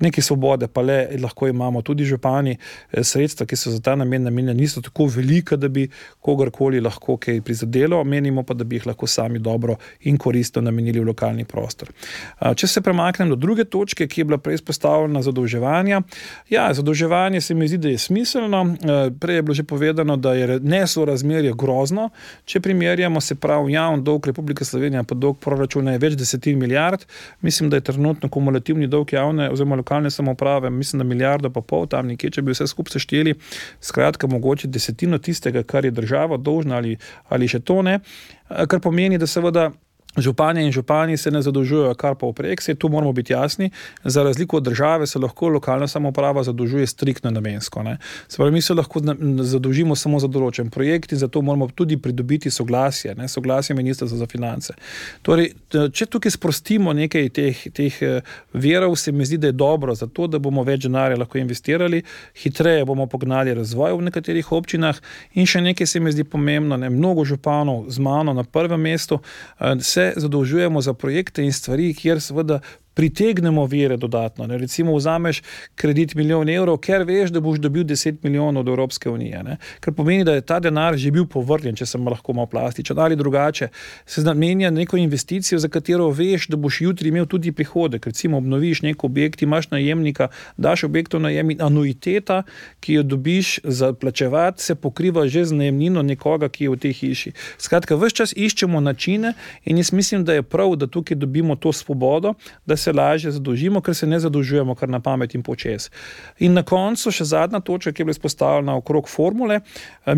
Nekaj svobode pa le lahko imamo tudi župani, eh, sredstva, ki so za ta namen namenjena, niso tako velika, da bi kogarkoli lahko kaj prizadelo, menimo pa, da bi jih lahko sami dobro in koristno namenili v lokalni prostor. Če se premaknem do druge točke, ki je bila prej izpostavljena zadolževanja. Ja, zadolževanje se mi zdi, da je smiselno. Prej je bilo že povedano, da je nesorazmerje grozno. Če primerjamo, se pravi javni dolg Republike Slovenije pa dolg proračuna je več desetin milijard. Mislim, da je trenutno kumulativni dolg javne oziroma lokalne samouprave, mislim, da milijardo pa pol tam nekje, če bi vse skupaj sešteli, skratka mogoče desetino tistega, kar je država dolžna ali, ali še to ne, kar pomeni, da seveda županje in župani se ne zadolžujejo kar pa vprek, se tu moramo biti jasni, za razliko od države se lahko lokalna samouprava zadolžuje striktno namensko. Ne. Se pravi, mi se lahko zadolžimo samo za določen projekt in zato moramo tudi pridobiti soglasje, ne, soglasje Ministrstva za finance. Torej, če tukaj sprostimo nekaj teh, teh verov, se mi zdi, da je dobro za to, da bomo več denarja lahko investirali, hitreje bomo pognali razvoj v nekaterih občinah in še nekaj se mi zdi pomembno, ne, mnogo županov z mano na prvem mestu se zadolžujemo za projekte in stvari, kjer seveda pritegnemo vire dodatno. Ne. Recimo vzameš kredit milijon evrov, ker veš, da boš dobil deset milijonov od Evropske unije. Ne. Ker pomeni, da je ta denar že bil povrnjen, če sem lahko malo plastičen, ali drugače. Se namenja neko investicijo, za katero veš, da boš jutri imel tudi prihodek. Recimo obnoviš nek objekt, imaš najemnika, daš objektu najem in anuiteta, ki jo dobiš za plačevati, se pokriva že z najemnino nekoga, ki je v tej hiši. Skratka, ves čas iščemo načine in jaz mislim, da je prav, da tukaj dobimo to svobodo, da se lažje zadolžimo, ker se ne zadolžujemo kar na pamet in počes. In na koncu še zadnja točka, ki je bila izpostavljena okrog formule,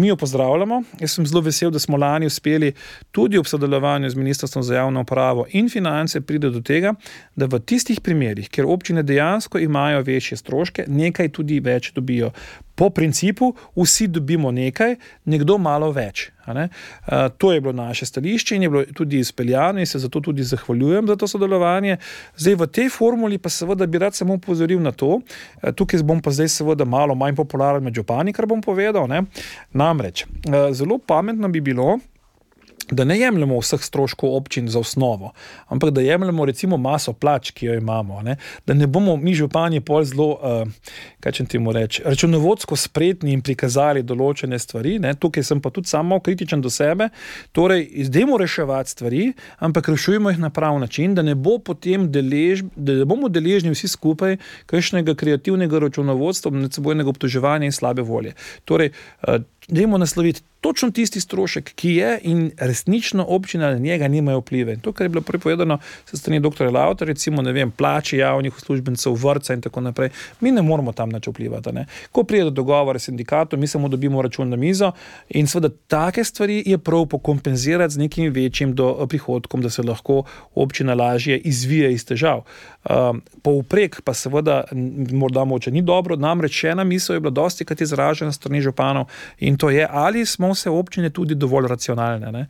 mi jo pozdravljamo. Jaz sem zelo vesel, da smo lani uspeli tudi ob sodelovanju z Ministrstvom za javno upravo in finance pride do tega, da v tistih primerih, kjer občine dejansko imajo večje stroške, nekaj tudi več dobijo. Po principu vsi dobimo nekaj, nekdo malo več. Ne? Uh, to je bilo naše stališče in je bilo tudi izpeljano in se zato tudi zahvaljujem za to sodelovanje. Zdaj v tej formuli pa seveda bi rad samo upozoril na to, uh, tukaj bom pa zdaj seveda malo manj popularen med župani, kar bom povedal. Ne? Namreč, uh, zelo pametno bi bilo, da ne jemljemo vseh stroškov občin za osnovo, ampak da jemljemo recimo maso plač, ki jo imamo. Ne? Da ne bomo mi župani pol zelo, uh, kaj če temu reči, računovodsko spretni in prikazali določene stvari. Ne? Tukaj sem pa tudi samo kritičen do sebe. Torej, izdajmo reševati stvari, ampak rešujemo jih na prav način, da ne bo potem delež, da ne bomo deležni vsi skupaj kakšnega kreativnega računovodstva, medsebojnega obtoževanja in slabe volje. Torej, uh, dajmo nasloviti točno tisti strošek, ki je in resnično občina na njega nimajo vplive. In to, kar je bilo prepovedano se strani doktorja Lauta, recimo, ne vem, plači javnih uslužbencev, vrtca in tako naprej, mi ne moramo tam nič vplivati. Ne? Ko pride do dogovora s sindikatom, mi samo dobimo račun na mizo in seveda take stvari je prav pokompenzirati z nekim večjim do prihodkom, da se lahko občina lažje izvije iz težav. Um, povprek pa seveda morda moče ni dobro, namreč še ena misel je bila dosti krat izražena strani županov in to je, ali smo vse občine tudi dovolj racionalne. Ne?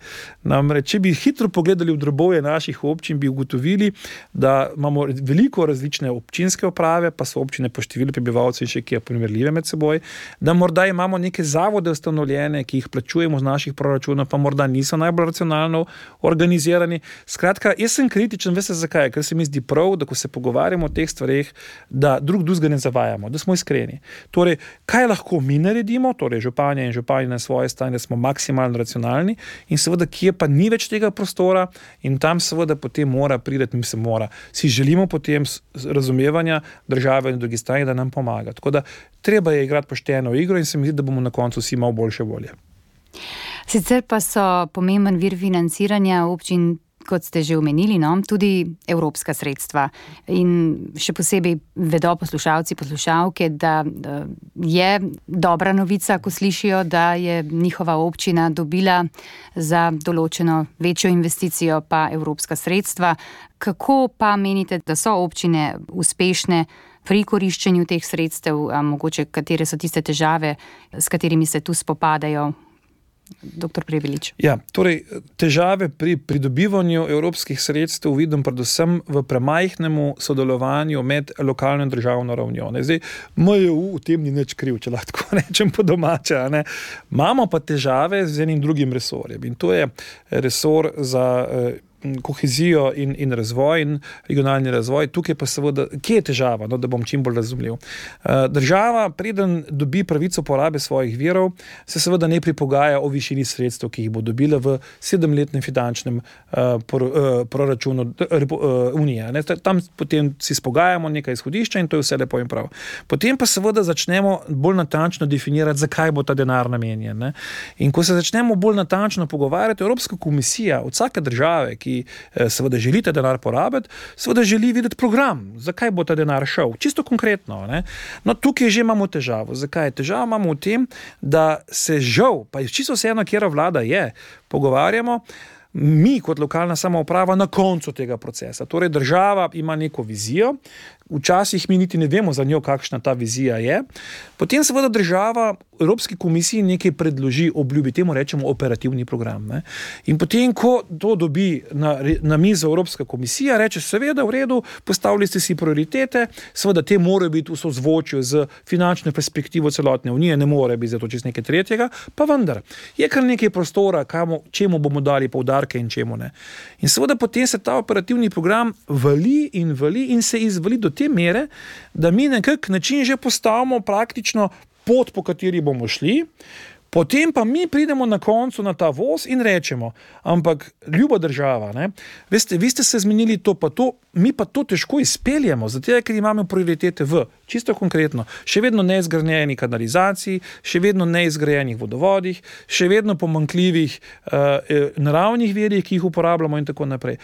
Namreč, če bi hitro pogledali v drobovje naših občin, bi ugotovili, da imamo veliko različne občinske uprave, pa so občine po številu prebivalcev in še ki je primerljive med seboj, da morda imamo neke zavode ustanovljene, ki jih plačujemo z naših proračunov, pa morda niso najbolj racionalno organizirani. Skratka, jaz sem kritičen, veste zakaj, ker se mi zdi prav, da ko se pogovarjamo o teh stvareh, da drug drugega ne zavajamo, da smo iskreni. Torej, kaj lahko mi naredimo, torej županja in župani na svoje stanje, da smo maksimalno racionalni in seveda, kje pa ni več tega prostora in tam seveda potem mora priti, mi se mora. Si želimo potem razumevanja države in drugi strani, da nam pomaga. Tako da treba je igrati pošteno igro in se mi zdi, da bomo na koncu vsi malo boljše volje. Sicer pa so pomemben vir financiranja občin, kot ste že omenili, no, tudi evropska sredstva. In še posebej vedo poslušalci, poslušalke, da je dobra novica, ko slišijo, da je njihova občina dobila za določeno večjo investicijo pa evropska sredstva. Kako pa menite, da so občine uspešne pri koriščenju teh sredstev, a mogoče katere so tiste težave, s katerimi se tu spopadajo? Doktor Prebilič. Ja, torej, težave pri pridobivanju evropskih sredstev vidim predvsem v premajhnemu sodelovanju med lokalno in državno ravnjo. Ne? Zdaj, M J U v tem ni nič kriv, če lahko rečem po domače. Ne? Imamo pa težave z enim drugim resorjem in to je resor za eh, kohezijo in, in razvoj in regionalni razvoj. Tukaj pa seveda, kje je težava, no, da bom čim bolj razumljiv. Država, preden dobi pravico porabe svojih virov, se seveda ne pripogaja o višini sredstev, ki jih bo dobila v sedemletnem finančnem uh, por, uh, proračunu uh, Unije. Ne? Tam potem si spogajamo nekaj izhodišča in to je vse lepo in prav. Potem pa seveda začnemo bolj natančno definirati, zakaj bo ta denar namenjen. Ne? In ko se začnemo bolj natančno pogovarjati, Evropska komisija od vsake države, ki seveda želite denar porabiti, seveda želi videti program, zakaj bo ta denar šel. Čisto konkretno. Ne? No, tukaj že imamo težavo. Zakaj? Težavo imamo v tem, da se žal, pa čisto vseeno, kjera vlada je, pogovarjamo, mi kot lokalna samouprava na koncu tega procesa. Torej, država ima neko vizijo, včasih mi niti ne vemo za njo, kakšna ta vizija je. Potem seveda država Evropski komisiji nekaj predloži, obljubi, temu rečemo operativni program. Ne? In potem, ko to dobi na, na mizo Evropska komisija, reče, seveda, v redu, postavili ste si prioritete, seveda te morajo biti v sozvočju z finančno perspektivo celotne Unije, ne more biti zato čez nekaj tretjega, pa vendar, je kar nekaj prostora, kamo, čemu bomo dali poudarke in čemu ne. In seveda potem se ta operativni program vali in vali in se izvali do te mere, da mi nekak način že postavimo praktično pot, po kateri bomo šli, potem pa mi pridemo na koncu na ta voz in rečemo, ampak ljuba država, ne, veste, vi ste se zmenili to pa to, mi pa to težko izpeljemo, zato ker imamo prioritete v, čisto konkretno, še vedno neizgrajeni kanalizaciji, še vedno neizgrajenih vodovodih, še vedno pomanjkljivih uh, naravnih virih, ki jih uporabljamo in tako naprej.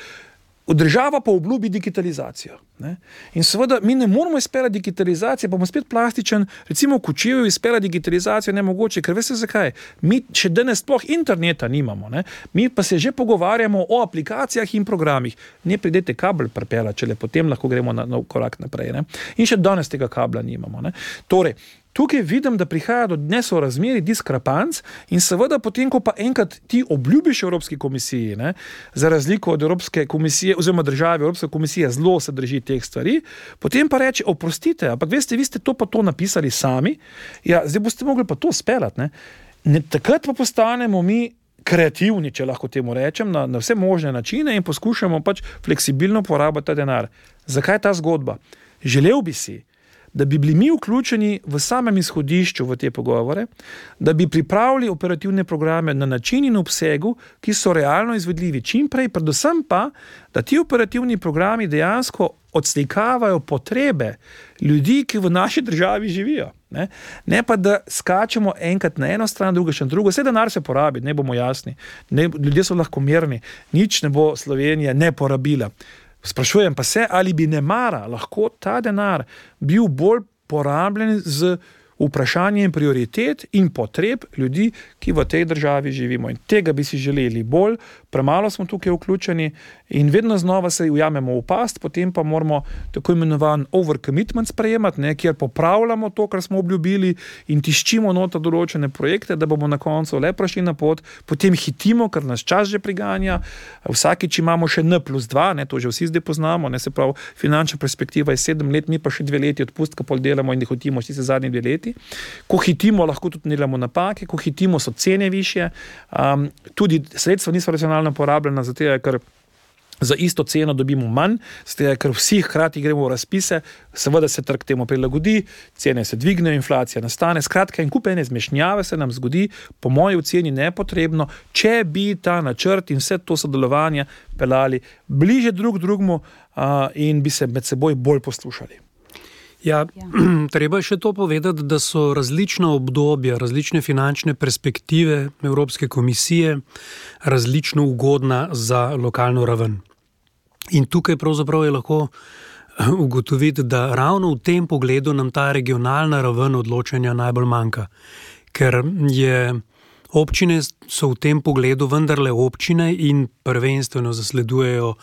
Država pa obljubi digitalizacijo. Ne? In seveda mi ne moramo izpeljati digitalizacije, pa bomo spet plastičen, recimo v Kočevju izpeljati digitalizacijo nemogoče, ker veste zakaj? Mi še danes sploh interneta nimamo, ne? Mi pa se že pogovarjamo o aplikacijah in programih. Ne pridete kabel pripela, če le potem lahko gremo na nov korak naprej. Ne? In še danes tega kabla nimamo. Ne? Torej, tukaj vidim, da prihaja do nesorazmerij, diskrepanc in seveda potem, ko pa enkrat ti obljubiš Evropski komisiji, ne, za razliko od Evropske komisije, oziroma države Evropske komisije zelo se drži teh stvari, potem pa reče, oprostite, ampak veste, vi ste to pa to napisali sami, ja, zdaj boste mogli pa to speljati. Ne. Ne, takrat pa postanemo mi kreativni, če lahko temu rečem, na, na vse možne načine in poskušamo pač fleksibilno porabiti ta denar. Zakaj ta zgodba? Želel bi si, da bi bili mi vključeni v samem izhodišču v te pogovore, da bi pripravili operativne programe na način in obsegu, ki so realno izvedljivi čim prej, predvsem pa, da ti operativni programi dejansko odslikavajo potrebe ljudi, ki v naši državi živijo. Ne, ne pa, da skačemo enkrat na eno stran, druga še na drugo. Vse denar se porabi, ne bomo jasni. Ne, ljudje so lahko merni. Nič ne bo Slovenija ne porabila. Sprašujem pa se, ali bi nemara lahko ta denar bil bolj porabljen z vprašanjem prioritet in potreb ljudi, ki v tej državi živimo. In tega bi si želeli bolj, premalo smo tukaj vključeni in vedno znova se ujamemo v past, potem pa moramo tako imenovan overcommitment sprejemati, ne, kjer popravljamo to, kar smo obljubili in tiščimo nota določene projekte, da bomo na koncu le prišli na pot, potem hitimo, ker nas čas že priganja, vsakič imamo še N plus dva, ne, to že vsi zdaj poznamo, ne, se pravi, finančna perspektiva je sedem let, mi pa še dve leti odpustka pol delamo in hotimo vsi se zadnji dve leti. Ko hitimo, lahko tudi delamo napake, ko hitimo, so cene višje, um, tudi sredstva niso racionalno porabljena, zato je, ker za isto ceno dobimo manj, zato je, ker vsi hkrati gremo v razpise, seveda se trg temu prilagodi, cene se dvignejo, inflacija nastane, skratka in kup ene zmešnjave se nam zgodi, po moji oceni nepotrebno, če bi ta načrt in vse to sodelovanje pelali bliže drug drugmu uh, in bi se med seboj bolj poslušali. Ja, ja, treba je še to povedati, da so različna obdobja, različne finančne perspektive Evropske komisije različno ugodna za lokalno raven. In tukaj pravzaprav je lahko ugotoviti, da ravno v tem pogledu nam ta regionalna raven odločanja najbolj manjka. Ker je občine so v tem pogledu vendarle občine in prvenstveno zasledujejo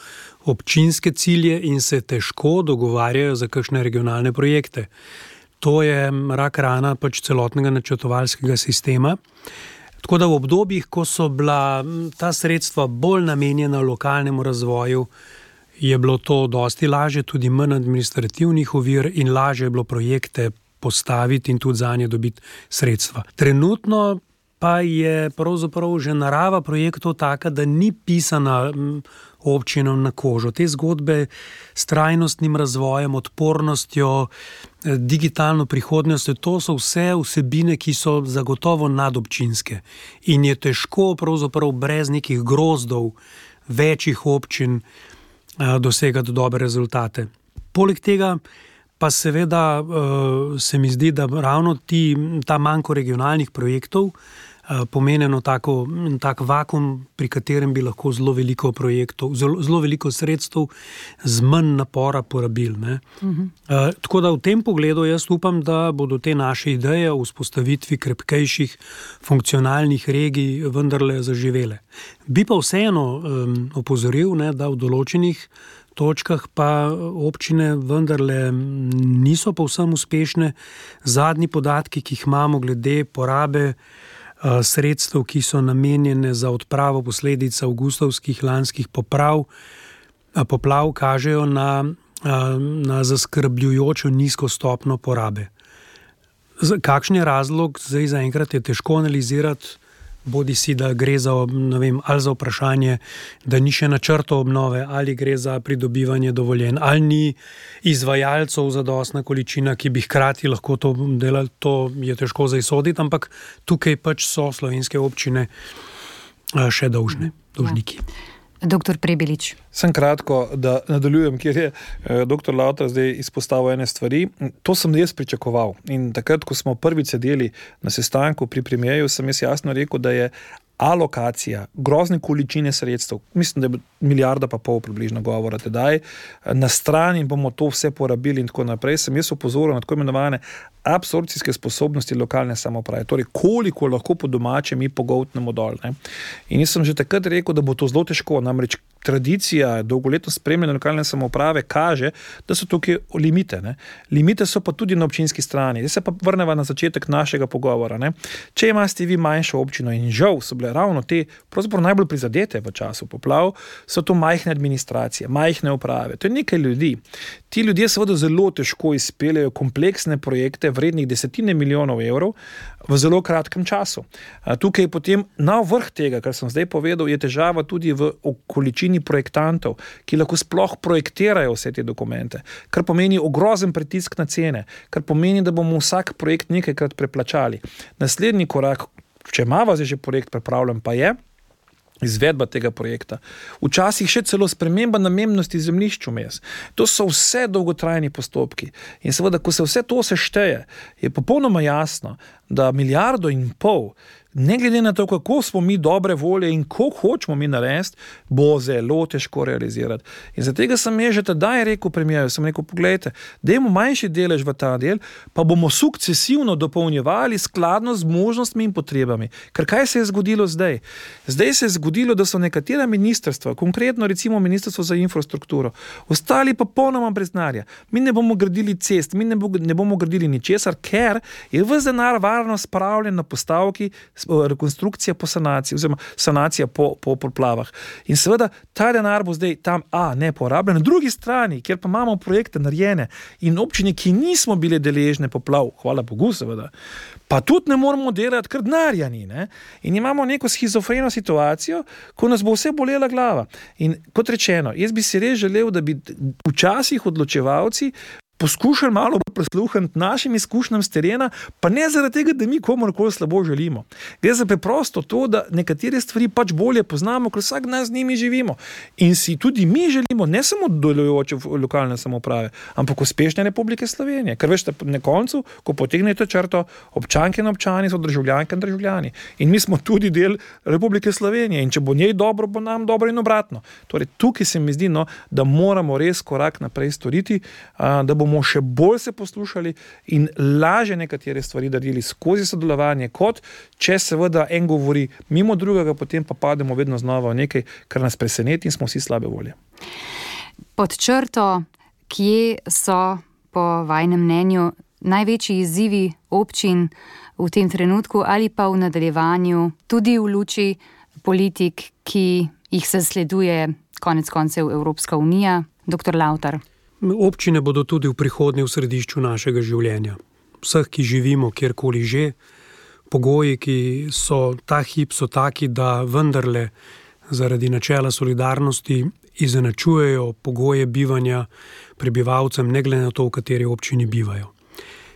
občinske cilje in se težko dogovarjajo za kakšne regionalne projekte. To je rak rana pač celotnega načrtovalskega sistema. Tako da v obdobjih, ko so bila ta sredstva bolj namenjena lokalnemu razvoju, je bilo to dosti lažje, tudi manj administrativnih ovir in lažje je bilo projekte postaviti in tudi zanje dobiti sredstva. Trenutno pa je pravzaprav že narava projektov taka, da ni pisana občinom na kožo. Te zgodbe s trajnostnim razvojem, odpornostjo, digitalno prihodnostjo, to so vse vsebine, ki so zagotovo nadobčinske. In je težko pravzaprav brez nekih grozdov večjih občin dosegati dobre rezultate. Poleg tega pa seveda se mi zdi, da ravno ti, ta manko regionalnih projektov pomeneno tako, tak vakum, pri katerem bi lahko zelo veliko projektov, zelo, zelo veliko sredstev z manj napora porabili. Ne? Uh-huh. Uh, tako da v tem pogledu jaz upam, da bodo te naše ideje o vzpostavitvi krepkejših funkcionalnih regij vendarle zaživele. Bi pa vseeno um, opozoril, ne, da v določenih točkah pa občine vendarle niso povsem uspešne. Zadnji podatki, ki jih imamo glede porabe sredstev, ki so namenjene za odpravo posledic avgustovskih lanskih poprav, poplav, kažejo na, na zaskrbljujočo nizko stopno porabe. Kakšen je razlog? Zdaj zaenkrat je težko analizirati, bodi si, da gre za, ne vem, ali za vprašanje, da ni še načrtov obnove, ali gre za pridobivanje dovoljenj, ali ni izvajalcev zadostna količina, ki bi hkrati lahko to delali, to je težko izsoditi, ampak tukaj pač so slovenske občine še dolžne, dolžniki. Ja. Doktor Prebilič. Sem kratko, da nadaljujem, kjer je eh, doktor Lavtar zdaj izpostavil ene stvari. To sem jaz pričakoval. In takrat, ko smo prvič sedeli na sestanku pri premierju, sem jaz jasno rekel, da je alokacija, grozne količine sredstev, mislim, da je milijarda pa pol približno govora tedaj, na strani bomo to vse porabili in tako naprej, sem jaz opozoril na tako imenovane absorpcijske sposobnosti lokalne samouprave, torej koliko lahko po domače mi pogoltnemo dol. Ne? In jaz sem že takrat rekel, da bo to zelo težko, namreč tradicija, dolgoletno spremljanje lokalne samouprave kaže, da so tukaj limite. Ne? Limite so pa tudi na občinski strani. Zdaj se pa vrneva na začetek našega pogovora. Ne? Če imate vi manjšo občino in žal so bile ravno te pravzaprav najbolj prizadete v času poplav, so to majhne administracije, majhne uprave. To je nekaj ljudi. Ti ljudje seveda zelo težko izpeljajo kompleksne projekte vrednih desetine milijonov evrov v zelo kratkem času. Tukaj je potem na vrh tega, kar sem zdaj povedal, je težava tudi v količini projektantov, ki lahko sploh projektirajo vse te dokumente, kar pomeni ogrozen pritisk na cene, kar pomeni, da bomo vsak projekt nekajkrat preplačali. Naslednji korak, če imava zdaj že projekt pripravljen, pa je izvedba tega projekta. Včasih še celo sprememba namembnosti zemljišč vmes. To so vse dolgotrajni postopki. In seveda, ko se vse to sešteje, je popolnoma jasno, da milijardo in pol, ne glede na to, kako smo mi dobre volje in koliko hočemo mi narediti, bo zelo težko realizirati. In zato sem je že tedaj rekel premijerju, sem rekel, poglejte, dajmo manjši delež v ta del, pa bomo sukcesivno dopolnjevali skladno z možnostmi in potrebami. Ker kaj se je zgodilo zdaj? Zdaj se je zgodilo, da so nekatera ministrstva, konkretno recimo Ministrstvo za infrastrukturo, ostali pa popolnoma brez denarja. Mi ne bomo gradili cest, mi ne, bo, ne bomo gradili ničesar, ker je ves denar varno spravljen na postavki rekonstrukcija po sanaciji, oziroma sanacija po, po poplavah. In seveda ta denar bo zdaj tam, a, ne porabljen. Na drugi strani, kjer pa imamo projekte narejene in občine, ki nismo bile deležne poplav, hvala Bogu seveda, pa tudi ne moramo delati, ker denarja ni. Ne? In imamo neko schizofreno situacijo, ko nas bo vse bolela glava. In kot rečeno, jaz bi si res želel, da bi včasih odločevalci poskušali malo prisluhniti našim izkušnjam s terena, pa ne zaradi tega, da mi komorkoli slabo želimo. Gre za preprosto to, da nekatere stvari pač bolje poznamo, ker vsak dan z njimi živimo. In si tudi mi želimo ne samo delujoče lokalne samouprave, ampak uspešne Republike Slovenije. Ker veš, na koncu, ko potegnete črto, občanke in občani so državljanke in državljani. In mi smo tudi del Republike Slovenije. In če bo njej dobro, bo nam dobro in obratno. Torej, tukaj se mi zdi, no, da moramo res korak naprej storiti, da bomo bomo še bolj se poslušali in lažje nekatere stvari naredili skozi sodelovanje, kot če seveda en govori mimo drugega, potem pa pademo vedno znova v nekaj, kar nas preseneti in smo vsi slabe volje. Pod črto, kje so po vajnem mnenju največji izzivi občin v tem trenutku ali pa v nadaljevanju, tudi v luči politik, ki jih zasleduje konec koncev Evropska unija? Doktor Lavtar. Občine bodo tudi v prihodnje v središču našega življenja. Vseh, ki živimo kjerkoli že, pogoji, ki so ta hip, so taki, da vendarle zaradi načela solidarnosti izenačujejo pogoje bivanja prebivalcem, ne glede na to, v kateri občini bivajo.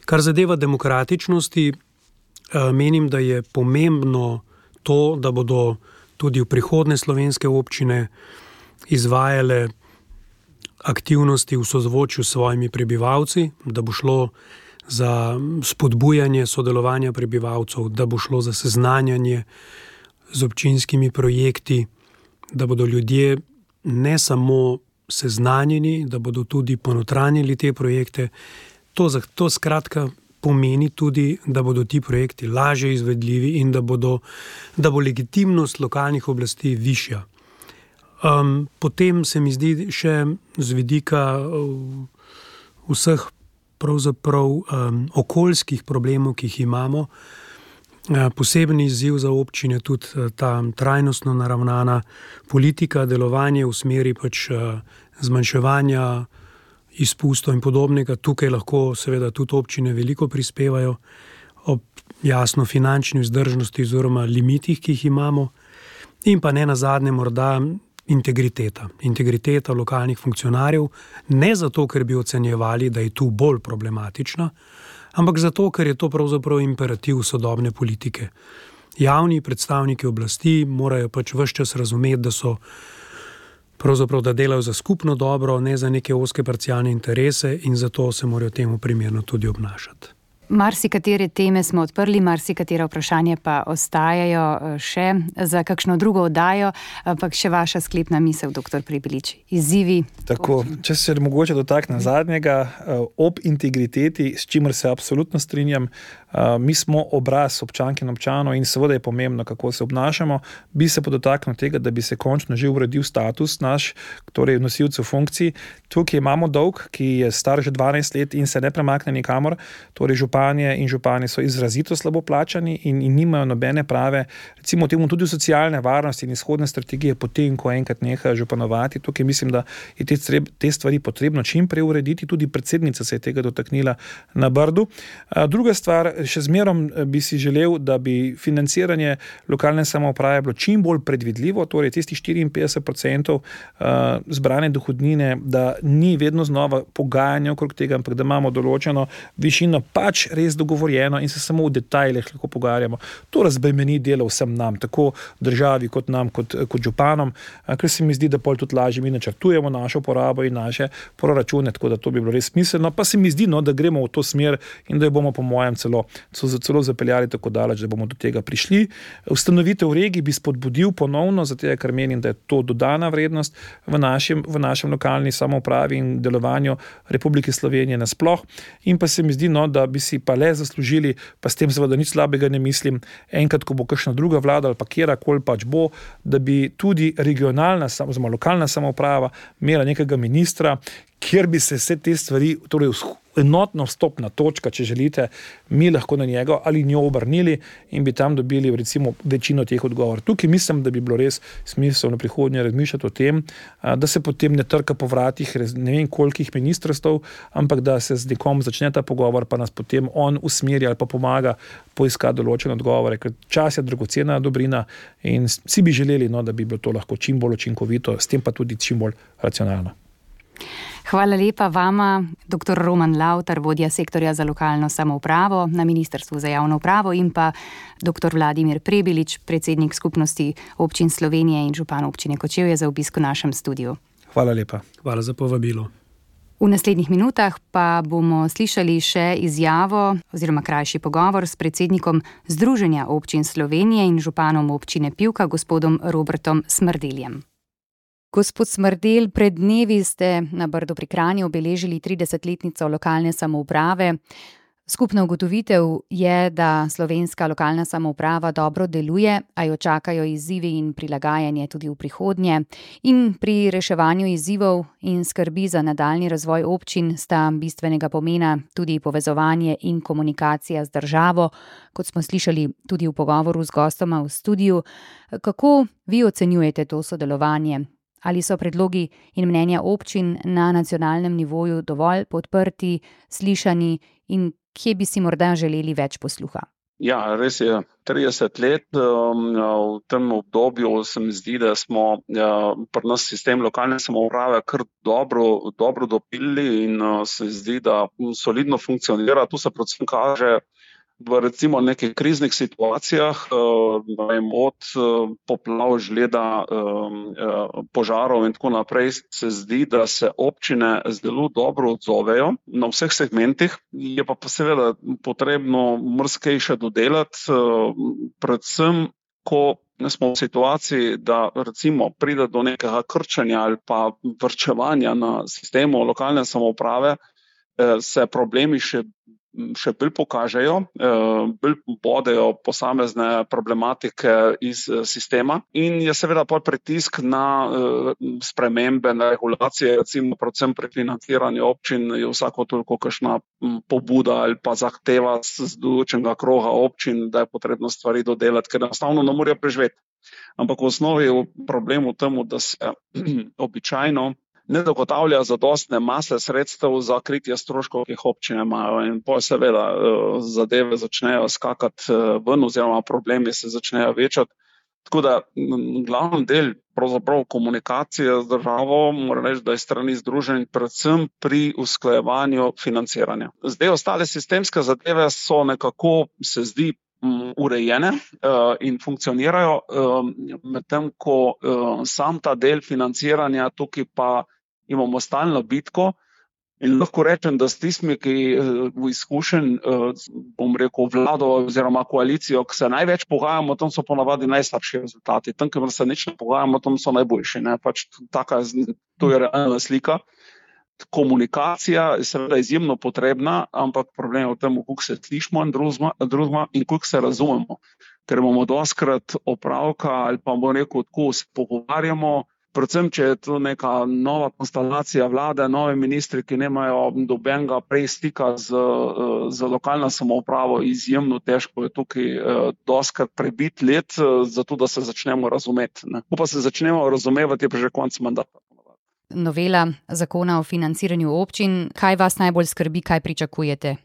Kar zadeva demokratičnosti, menim, da je pomembno to, da bodo tudi v prihodnje slovenske občine izvajale aktivnosti v sozvočju s svojimi prebivalci, da bo šlo za spodbujanje sodelovanja prebivalcev, da bo šlo za seznanjanje z občinskimi projekti, da bodo ljudje ne samo seznanjeni, da bodo tudi ponotranjili te projekte. To, to skratka pomeni tudi, da bodo ti projekti lažje izvedljivi in da, bodo, da bo legitimnost lokalnih oblasti višja. Um, potem se mi zdi še z vidika uh, vseh pravzaprav um, okoljskih problemov, ki jih imamo, uh, posebni izziv za občine tudi uh, ta trajnostno naravnana politika, delovanje v smeri pač uh, zmanjševanja izpustov in podobnega. Tukaj lahko seveda tudi občine veliko prispevajo ob jasno finančni vzdržnosti oziroma limitih, ki jih imamo. In pa ne nazadnje morda integriteta. Integriteta lokalnih funkcionarjev, ne zato, ker bi ocenjevali, da je tu bolj problematična, ampak zato, ker je to pravzaprav imperativ sodobne politike. Javni predstavniki oblasti morajo pač ves čas razumeti, da so pravzaprav, da delajo za skupno dobro, ne za neke ozke parcialne interese in zato se morajo temu primerno tudi obnašati. Marsikatere teme smo odprli, marsikatera vprašanja pa ostajajo še za kakšno drugo oddajo, ampak še vaša sklepna misel, doktor Prebilič. Izzivi. Tako, če se mogoče dotaknem zadnjega, ob integriteti, s čimer se absolutno strinjam, mi smo obraz občank in občanov in seveda je pomembno, kako se obnašamo, bi se pa dotaknil tega, da bi se končno že uredil status naš, torej nosilcev funkcij. Tukaj imamo dolg, ki je star že dvanajst let in se ne premakne nikamor, torej županje in župani so izrazito slabo plačani in, in nimajo nobene prave, recimo temu tudi socialne varnosti in izhodne strategije potem, ko enkrat neha županovati. Tukaj mislim, da je te, te stvari potrebno čim prej urediti, tudi predsednica se je tega dotaknila na Brdu. Druga stvar, še zmerom bi si želel, da bi financiranje lokalne samouprave bilo čim bolj predvidljivo, torej tistih štiriinpetdeset procentov zbrane dohodnine, da ni vedno znova pogajanja okrog tega, ampak da imamo določeno višino pač res dogovorjeno in se samo v detajlih lahko pogovarjamo. To razbremeni delo vsem nam, tako državi kot nam, kot, kot županom, ker se mi zdi, da pol tudi lažje mi načrtujemo našo porabo in naše proračune, tako da to bi bilo res smiselno, pa se mi zdi, no, da gremo v to smer in da jo bomo po mojem celo so celo zapeljali tako daleč, da bomo do tega prišli. Ustanovitev regij bi spodbudil ponovno, zato ker menim, da je to dodana vrednost v našem, v našem lokalni samoupravi in delovanju Republike Slovenije nasploh. In pa se mi zdi, no, da bi si pa le zaslužili, pa s tem seveda nič slabega ne mislim, enkrat, ko bo kakšna druga vlada ali pa kjerkoli pač bo, da bi tudi regionalna, oziroma lokalna samouprava imela nekega ministra, kjer bi se vse te stvari, torej enotno vstopna točka, če želite, mi lahko na njega ali njo obrnili in bi tam dobili recimo večino teh odgovor. Tukaj mislim, da bi bilo res smiselno prihodnje razmišljati o tem, da se potem ne trka po vratih ne vem kolikih ministrstv, ampak da se z nekom začne ta pogovor, pa nas potem on usmeri ali pa pomaga poiskati določene odgovore, ker čas je dragocena dobrina in vsi bi želeli, no, da bi bilo to lahko čim bolj učinkovito, s tem pa tudi čim bolj racionalno. Hvala lepa vama, doktor Roman Lavtar, vodja sektorja za lokalno samoupravo na Ministrstvu za javno upravo in pa doktor Vladimir Prebilič, predsednik skupnosti občin Slovenije in župan občine Kočevje za obisk v našem studiu. Hvala lepa. Hvala za povabilo. V naslednjih minutah pa bomo slišali še izjavo oziroma krajši pogovor s predsednikom Združenja občin Slovenije in županom občine Pivka, gospodom Robertom Smrdeljem. Gospod Smrdelj, pred dnevi ste na Brdu pri Kranju obeležili tridesetletnico lokalne samouprave. Skupna ugotovitev je, da slovenska lokalna samouprava dobro deluje, a jo čakajo izzivi in prilagajanje tudi v prihodnje. In pri reševanju izzivov in skrbi za nadaljnji razvoj občin sta bistvenega pomena tudi povezovanje in komunikacija z državo, kot smo slišali tudi v pogovoru z gostoma v studiu. Kako vi ocenjujete to sodelovanje? Ali so predlogi in mnenja občin na nacionalnem nivoju dovolj podprti, slišani in kje bi si morda želeli več posluha? Ja, res je. trideset let v tem obdobju se mi zdi, da smo pri nas sistem lokalne samouprave kar dobro, dobro dopili in se zdi, da solidno funkcionira. Tu se predvsem kaže v recimo nekih kriznih situacijah, od poplav, žleda, požarov in tako naprej, se zdi, da se občine zelo dobro odzovejo na vseh segmentih. Je pa seveda potrebno marsikaj še dodelati, predvsem, ko smo v situaciji, da recimo pride do nekega krčenja ali pa varčevanja na sistemu lokalne samouprave, se problemi še še bolj pokažejo, bolj bodejo posamezne problematike iz sistema in je seveda pol pritisk na spremembe, na regulacije, recimo predvsem pri financiranju občin je vsako toliko kakšna pobuda ali pa zahteva z določenega kroga občin, da je potrebno stvari dodelati, ker enostavno ne morejo preživeti. Ampak v osnovi je problem v tem, da se običajno ne zagotavlja zadostne mase sredstev za kritje stroškov, ki jih občine imajo in potem seveda zadeve začnejo skakati ven oziroma problemi se začnejo večati. Tako da glavni del pravzaprav komunikacije z državo, moram reči, da je strani združenj predvsem pri usklajevanju financiranja. Zdaj ostale sistemske zadeve so nekako, se zdi, urejene in funkcionirajo, medtem ko sam ta del financiranja, tukaj pa imamo stalno bitko In lahko rečem, da s tistimi, ki v izkušenj, bom rekel, vlado oziroma koalicijo, ki se največ pogajamo, tam so ponavadi najslabši rezultati. Tam, kjer se nič ne pogajamo, tam so najboljši. Ne? Pač taka, to je realna slika. Komunikacija je seveda izjemno potrebna, ampak problem je v tem, koliko se slišimo in drugima in koliko se razumemo. Ker bomo doskrat opravka ali pa bomo rekel, tako se pogovarjamo, predvsem, če je to neka nova konstelacija vlade, nove ministri, ki nemajo dobenega prej stika z, z lokalno samoupravo, izjemno težko je tukaj doskrat prebiti let, zato da se začnemo razumeti. Ne. Ko pa se začnemo razumevati, je pa že konec mandata. Novela zakona o financiranju občin, kaj vas najbolj skrbi, kaj pričakujete?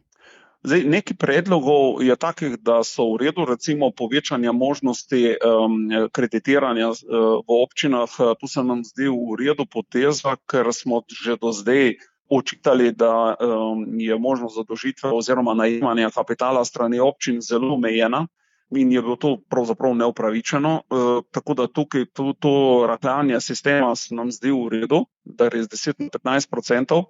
Zdaj, nekaj predlogov je takih, da so v redu, recimo povečanje možnosti um, kreditiranja uh, v občinah. Tu se nam zdi v redu poteza, ker smo že do zdaj očitali, da um, je možnost zadolžitve oziroma najemanja kapitala strani občin zelo omejena in je bilo to pravzaprav neupravičeno. Uh, tako da tukaj to, to rahljanje sistema se nam zdi v redu, da je z deset na petnajst odstotkov.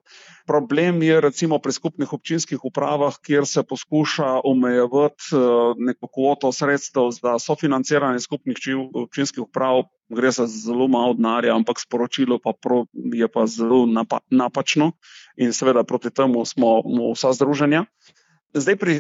Problem je recimo pri skupnih občinskih upravah, kjer se poskuša omejevati uh, neko kvoto sredstev za sofinanciranje skupnih občinskih uprav. Gre za zelo malo denarja, ampak sporočilo pa pro, je pa zelo napa, napačno in seveda proti temu smo vsa združenja. Zdaj pri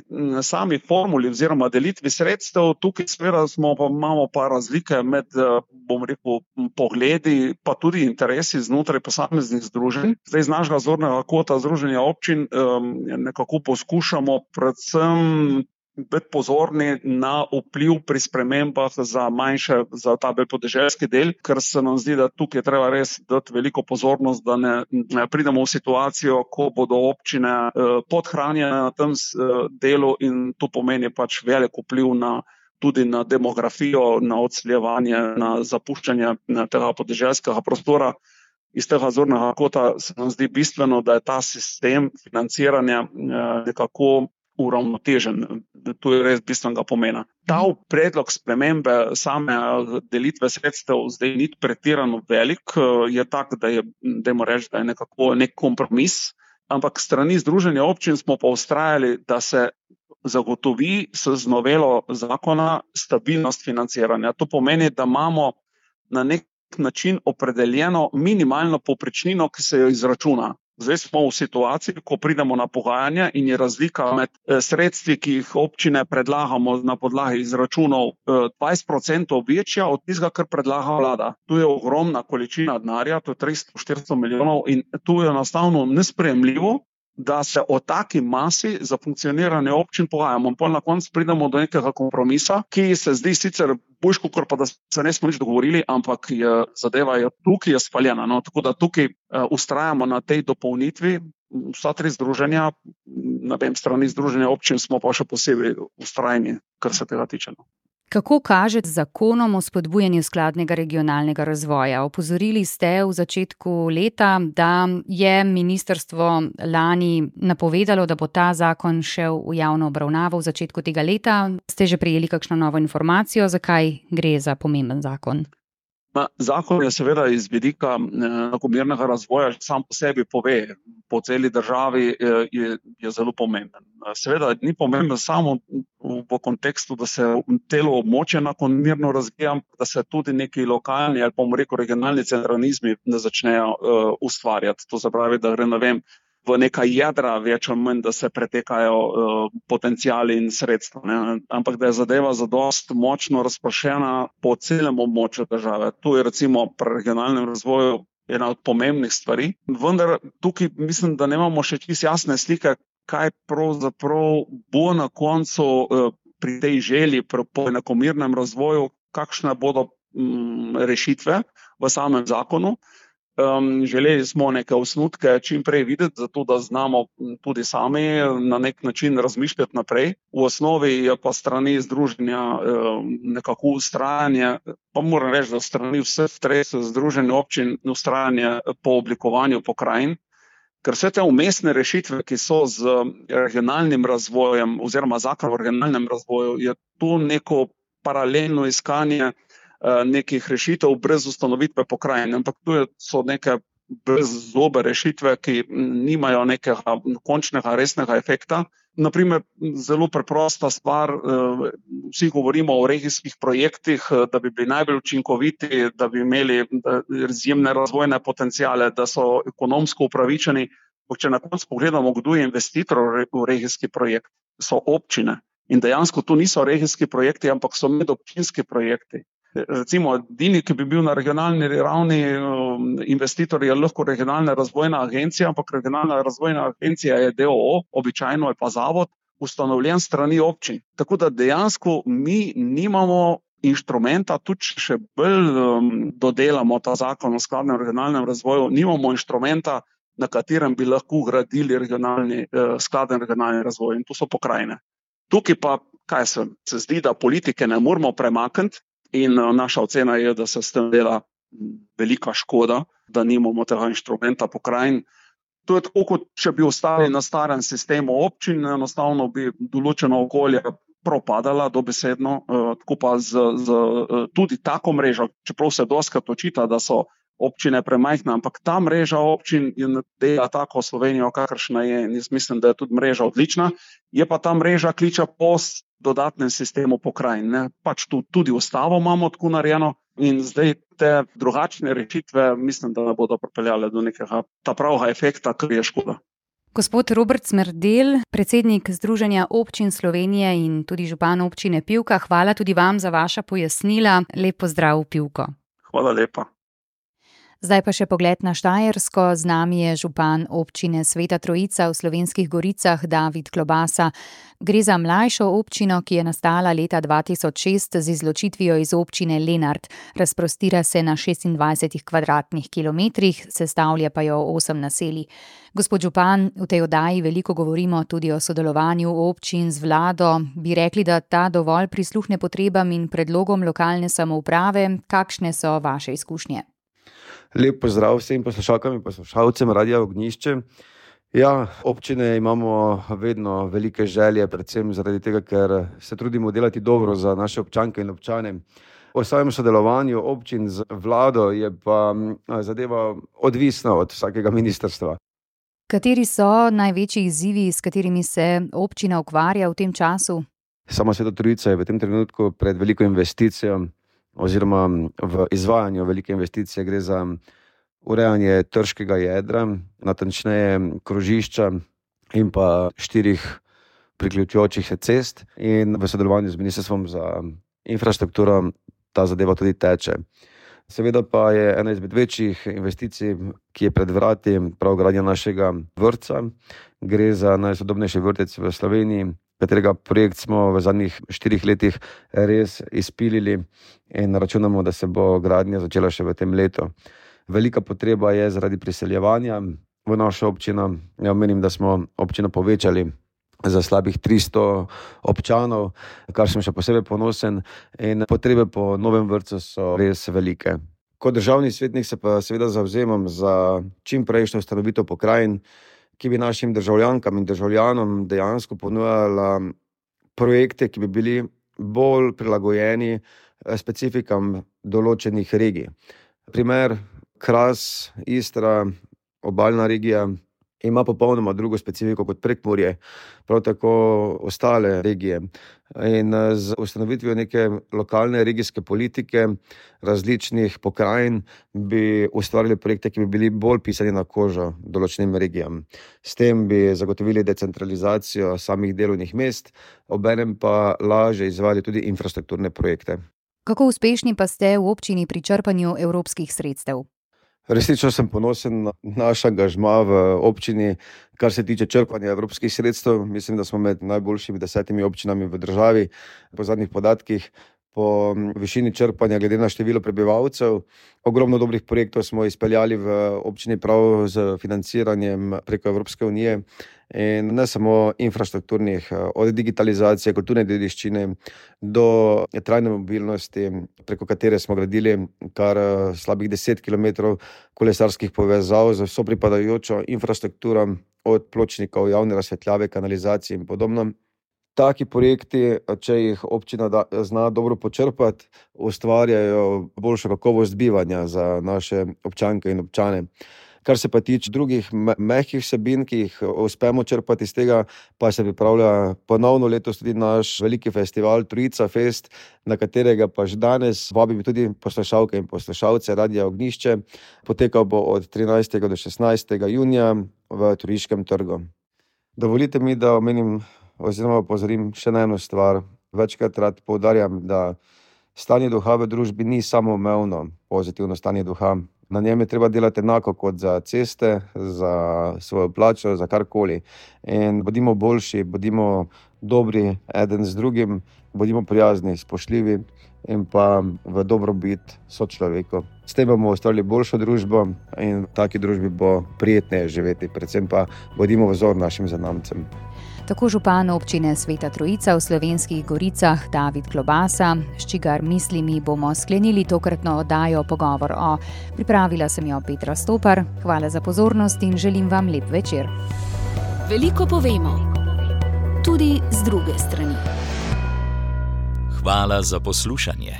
sami formuli oziroma delitvi sredstev, tukaj seveda smo pa, imamo pa razlike med, bom rekel, pogledi, pa tudi interesi znotraj posameznih združenj. Zdaj z našega zornega kota združenja občin um, nekako poskušamo predvsem biti pozorni na vpliv pri spremembah za manjše, za ta bolj podeželski del, ker se nam zdi, da tukaj treba res dati veliko pozornost, da ne, ne pridemo v situacijo, ko bodo občine eh, podhranjene na tem eh, delu in to pomeni pač velik vpliv na, tudi na demografijo, na odseljevanje, na zapuščanje na tega podeželskega prostora. Iz tega zornega kota se nam zdi bistveno, da je ta sistem financiranja eh, nekako uravnotežen. To je res bistvenega pomena. Ta predlog spremembe same delitve sredstev zdaj ni pretirano velik, je tak, da je, dajmo reči, da je nekako nek kompromis, ampak strani združenja občin smo pa vztrajali, da se zagotovi z novelo zakona stabilnost financiranja. To pomeni, da imamo na nek način opredeljeno minimalno povprečnino, ki se jo izračuna. Zdaj smo v situaciji, ko pridemo na pogajanja in je razlika med sredstvi, ki jih občine predlagamo na podlagi izračunov dvajset odstotkov večja od tistega, kar predlaga vlada. Tu je ogromna količina denarja, to je tristo do štiristo milijonov in tu je enostavno nesprejemljivo, da se o taki masi za funkcioniranje občin pogajamo. Pol na koncu pridemo do nekega kompromisa, ki se zdi sicer boljš, kot pa da se ne smo nič dogovorili, ampak je, zadeva je tukaj je spaljena. No? Tako da tukaj uh, ustrajamo na tej dopolnitvi. Vsa tri združenja, na tem strani združenja občin smo pa še posebej ustrajni, kar se tega tiče. No? Kako kaže z zakonom o spodbujanju skladnega regionalnega razvoja? Opozorili ste v začetku leta, da je ministrstvo lani napovedalo, da bo ta zakon šel v javno obravnavo v začetku tega leta. Ste že prejeli kakšno novo informacijo, zakaj gre za pomemben zakon? Zakon je seveda iz vidika enakomernega razvoja sam po sebi pove, po celi državi je, je zelo pomemben. Seveda ni pomemben samo v kontekstu, da se telo območje enakomerno razvija, da se tudi neki lokalni ali pa bomo rekel regionalni centralizmi ne začnejo uh, ustvarjati. To se pravi, da gre, ne vem, v neka jedra več ali manj, da se pretekajo uh, potencijali in sredstva. Ne? Ampak da je zadeva zadost močno razprašena po celem območju države. Tu je recimo pri regionalnem razvoju ena od pomembnih stvari. Vendar tukaj mislim, da nemamo še čisto jasne slike, kaj pravzaprav bo na koncu uh, pri tej želji po enakomernem razvoju, kakšne bodo um, rešitve v samem zakonu. Um, želeli smo neke osnutke čim prej videti, zato da znamo tudi sami na nek način razmišljati naprej. V osnovi je pa strani združenja um, nekako ustrajanje, pa moram reči, da strani vseh treh združenj občin ustrajanje po oblikovanju pokrajin, ker vse te umestne rešitve, ki so z regionalnim razvojem oziroma zakon o regionalnem razvoju, je tu neko paralelno iskanje nekih rešitev brez ustanovitve pokrajine, ampak tu so neke brez zobe rešitve, ki nimajo nekega končnega resnega efekta. Naprimer, zelo preprosta stvar, vsi govorimo o regijskih projektih, da bi bili najbolj učinkoviti, da bi imeli izjemne razvojne potenciale, da so ekonomsko upravičeni. Če na koncu pogledamo, kdo je investitor v regijski projekt, so občine. In dejansko to niso regijski projekti, ampak so medobčinski projekti. Recimo, edini, ki bi bil na regionalni ravni investitor, je lahko regionalna razvojna agencija, ampak regionalna razvojna agencija je D O O, običajno je pa zavod, ustanovljen strani občin. Tako da dejansko mi nimamo inštrumenta, tudi še bolj dodelamo ta zakon o skladnem regionalnem razvoju, nimamo inštrumenta, na katerem bi lahko gradili regionalni, skladen regionalni razvoj, in to so pokrajine. Tukaj pa, kaj se, se zdi, da politike ne moramo premakniti in naša ocena je, da se s tem dela velika škoda, da nimamo tega inštrumenta pokrajin. To je tako, kot če bi ostali na starem sistemu občin, enostavno bi določeno okolje propadala dobesedno, tako pa z, z tudi tako mrežo, čeprav se dostikrat očita, da so občine premajhne, ampak ta mreža občin dela tako Slovenijo, kakršna je, in jaz mislim, da je tudi mreža odlična, je pa ta mreža kliča po dodatnem sistemu pokrajin. Ne? Pač tu tudi ustavo imamo tako narejeno in zdaj te drugačne rešitve mislim, da ne bodo pripeljale do nekega ta pravega efekta, kar je škoda. Gospod Robert Smrdelj, predsednik Združenja občin Slovenije in tudi župan občine Pivka, hvala tudi vam za vaša pojasnila. Lep pozdrav v Pivko. Hvala lepa. Zdaj pa še pogled na Štajersko. Z nami je župan občine Sveta Trojica v Slovenskih Goricah, David Klobasa. Gre za mlajšo občino, ki je nastala leta dva tisoč šest z izločitvijo iz občine Lenart. Razprostira se na šestindvajsetih kvadratnih kilometrih, sestavlja pa jo osem naselij. Gospod župan, v tej oddaji veliko govorimo tudi o sodelovanju občin z vlado. Bi rekli, da ta dovolj prisluhne potrebam in predlogom lokalne samouprave? Kakšne so vaše izkušnje? Lep pozdrav vsem poslušalkam in poslušalcem Radia Ognjišče. Ja, občine imamo vedno velike želje, predvsem zaradi tega, ker se trudimo delati dobro za naše občanke in občane. O samem sodelovanju občin z vlado je pa zadeva odvisna od vsakega ministrstva. Kateri so največji izzivi, s katerimi se občina ukvarja v tem času? Sama Sveta Trojica je v tem trenutku pred veliko investicijo, oziroma v izvajanju velike investicije. Gre za urejanje trškega jedra, natančneje krožišča in pa štirih priključujočih se cest, in v sodelovanju z Ministrstvom za infrastrukturo ta zadeva tudi teče. Seveda pa je ena izmed večjih investicij, ki je pred vrati, prav gradnja našega vrtca. Gre za najsodobnejši vrtec v Sloveniji, katerega projekt smo v zadnjih štirih letih res izpilili in računamo, da se bo gradnja začela še v tem letu. Velika potreba je zaradi priseljevanja v našo občino. Ja, menim, da smo občino povečali za slabih tristo občanov, kar sem še posebej ponosen, in potrebe po novem vrtcu so res velike. Kot državni svetnik se pa seveda zavzemam za čim prejšnjo ustanovitev pokrajin, ki bi našim državljankam in državljanom dejansko ponujala projekte, ki bi bili bolj prilagojeni specifikam določenih regij. Primer, Kras, Istra, obalna regija ima popolnoma drugo specifiko kot Prekmurje, prav tako ostale regije. In z ustanovitvijo neke lokalne regijske politike različnih pokrajin bi ustvarili projekte, ki bi bili bolj pisani na kožo določenim regijam. S tem bi zagotovili decentralizacijo samih delovnih mest, obenem pa lažje izvajali tudi infrastrukturne projekte. Kako uspešni pa ste v občini pri črpanju evropskih sredstev? Resnično sem ponosen na naš angažma v občini, kar se tiče črpanja evropskih sredstev. Mislim, da smo med najboljšimi desetimi občinami v državi. Po zadnjih podatkih, po višini črpanja glede na število prebivalcev. Ogromno dobrih projektov smo izpeljali v občini prav z financiranjem preko Evropske unije. In ne samo infrastrukturnih, od digitalizacije, kulturne dediščine do trajne mobilnosti, preko katere smo gradili kar slabih deset kilometrov kolesarskih povezav z vso pripadajočo infrastrukturo, od pločnikov, javne razsvetljave, kanalizacije in podobno. Taki projekti, če jih občina da, zna dobro počrpati, ustvarjajo boljšo kakovost bivanja za naše občanke in občane. Kar se pa tiče drugih mehkih vsebin, ki jih uspemo črpati iz tega, pa se pripravlja ponovno letos tudi naš veliki festival Trojica Fest, na katerega pa že danes vabim tudi poslušalke in poslušalce Radia Ognjišče. Potekal bo od trinajstega do šestnajstega junija v Trojiškem trgu. Dovolite mi, da omenim oziroma opozorim še na eno stvar. Večkrat rad poudarjam, da stanje duha v družbi ni samoumevno pozitivno stanje duha. Na njem je treba delati enako kot za ceste, za svojo plačo, za karkoli. In bodimo boljši, bodimo dobri eden z drugim, bodimo prijazni, spoštljivi in pa v dobrobit sočloveku. S tem bomo ustvarili boljšo družbo in v taki družbi bo prijetneje živeti, predvsem pa bodimo vzor našim zanamcem. Tako župan občine Sveta Trojica v Slovenskih Goricah David Klobasa, s čigar mislimi bomo sklenili tokratno oddajo Pogovor o. Pripravila sem jo Petra Stopar. Hvala za pozornost in želim vam lep večer. Veliko povemo, tudi z druge strani. Hvala za poslušanje.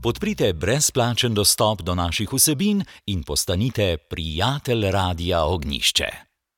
Podprite brezplačen dostop do naših vsebin in postanite prijatelj Radia Ognjišče.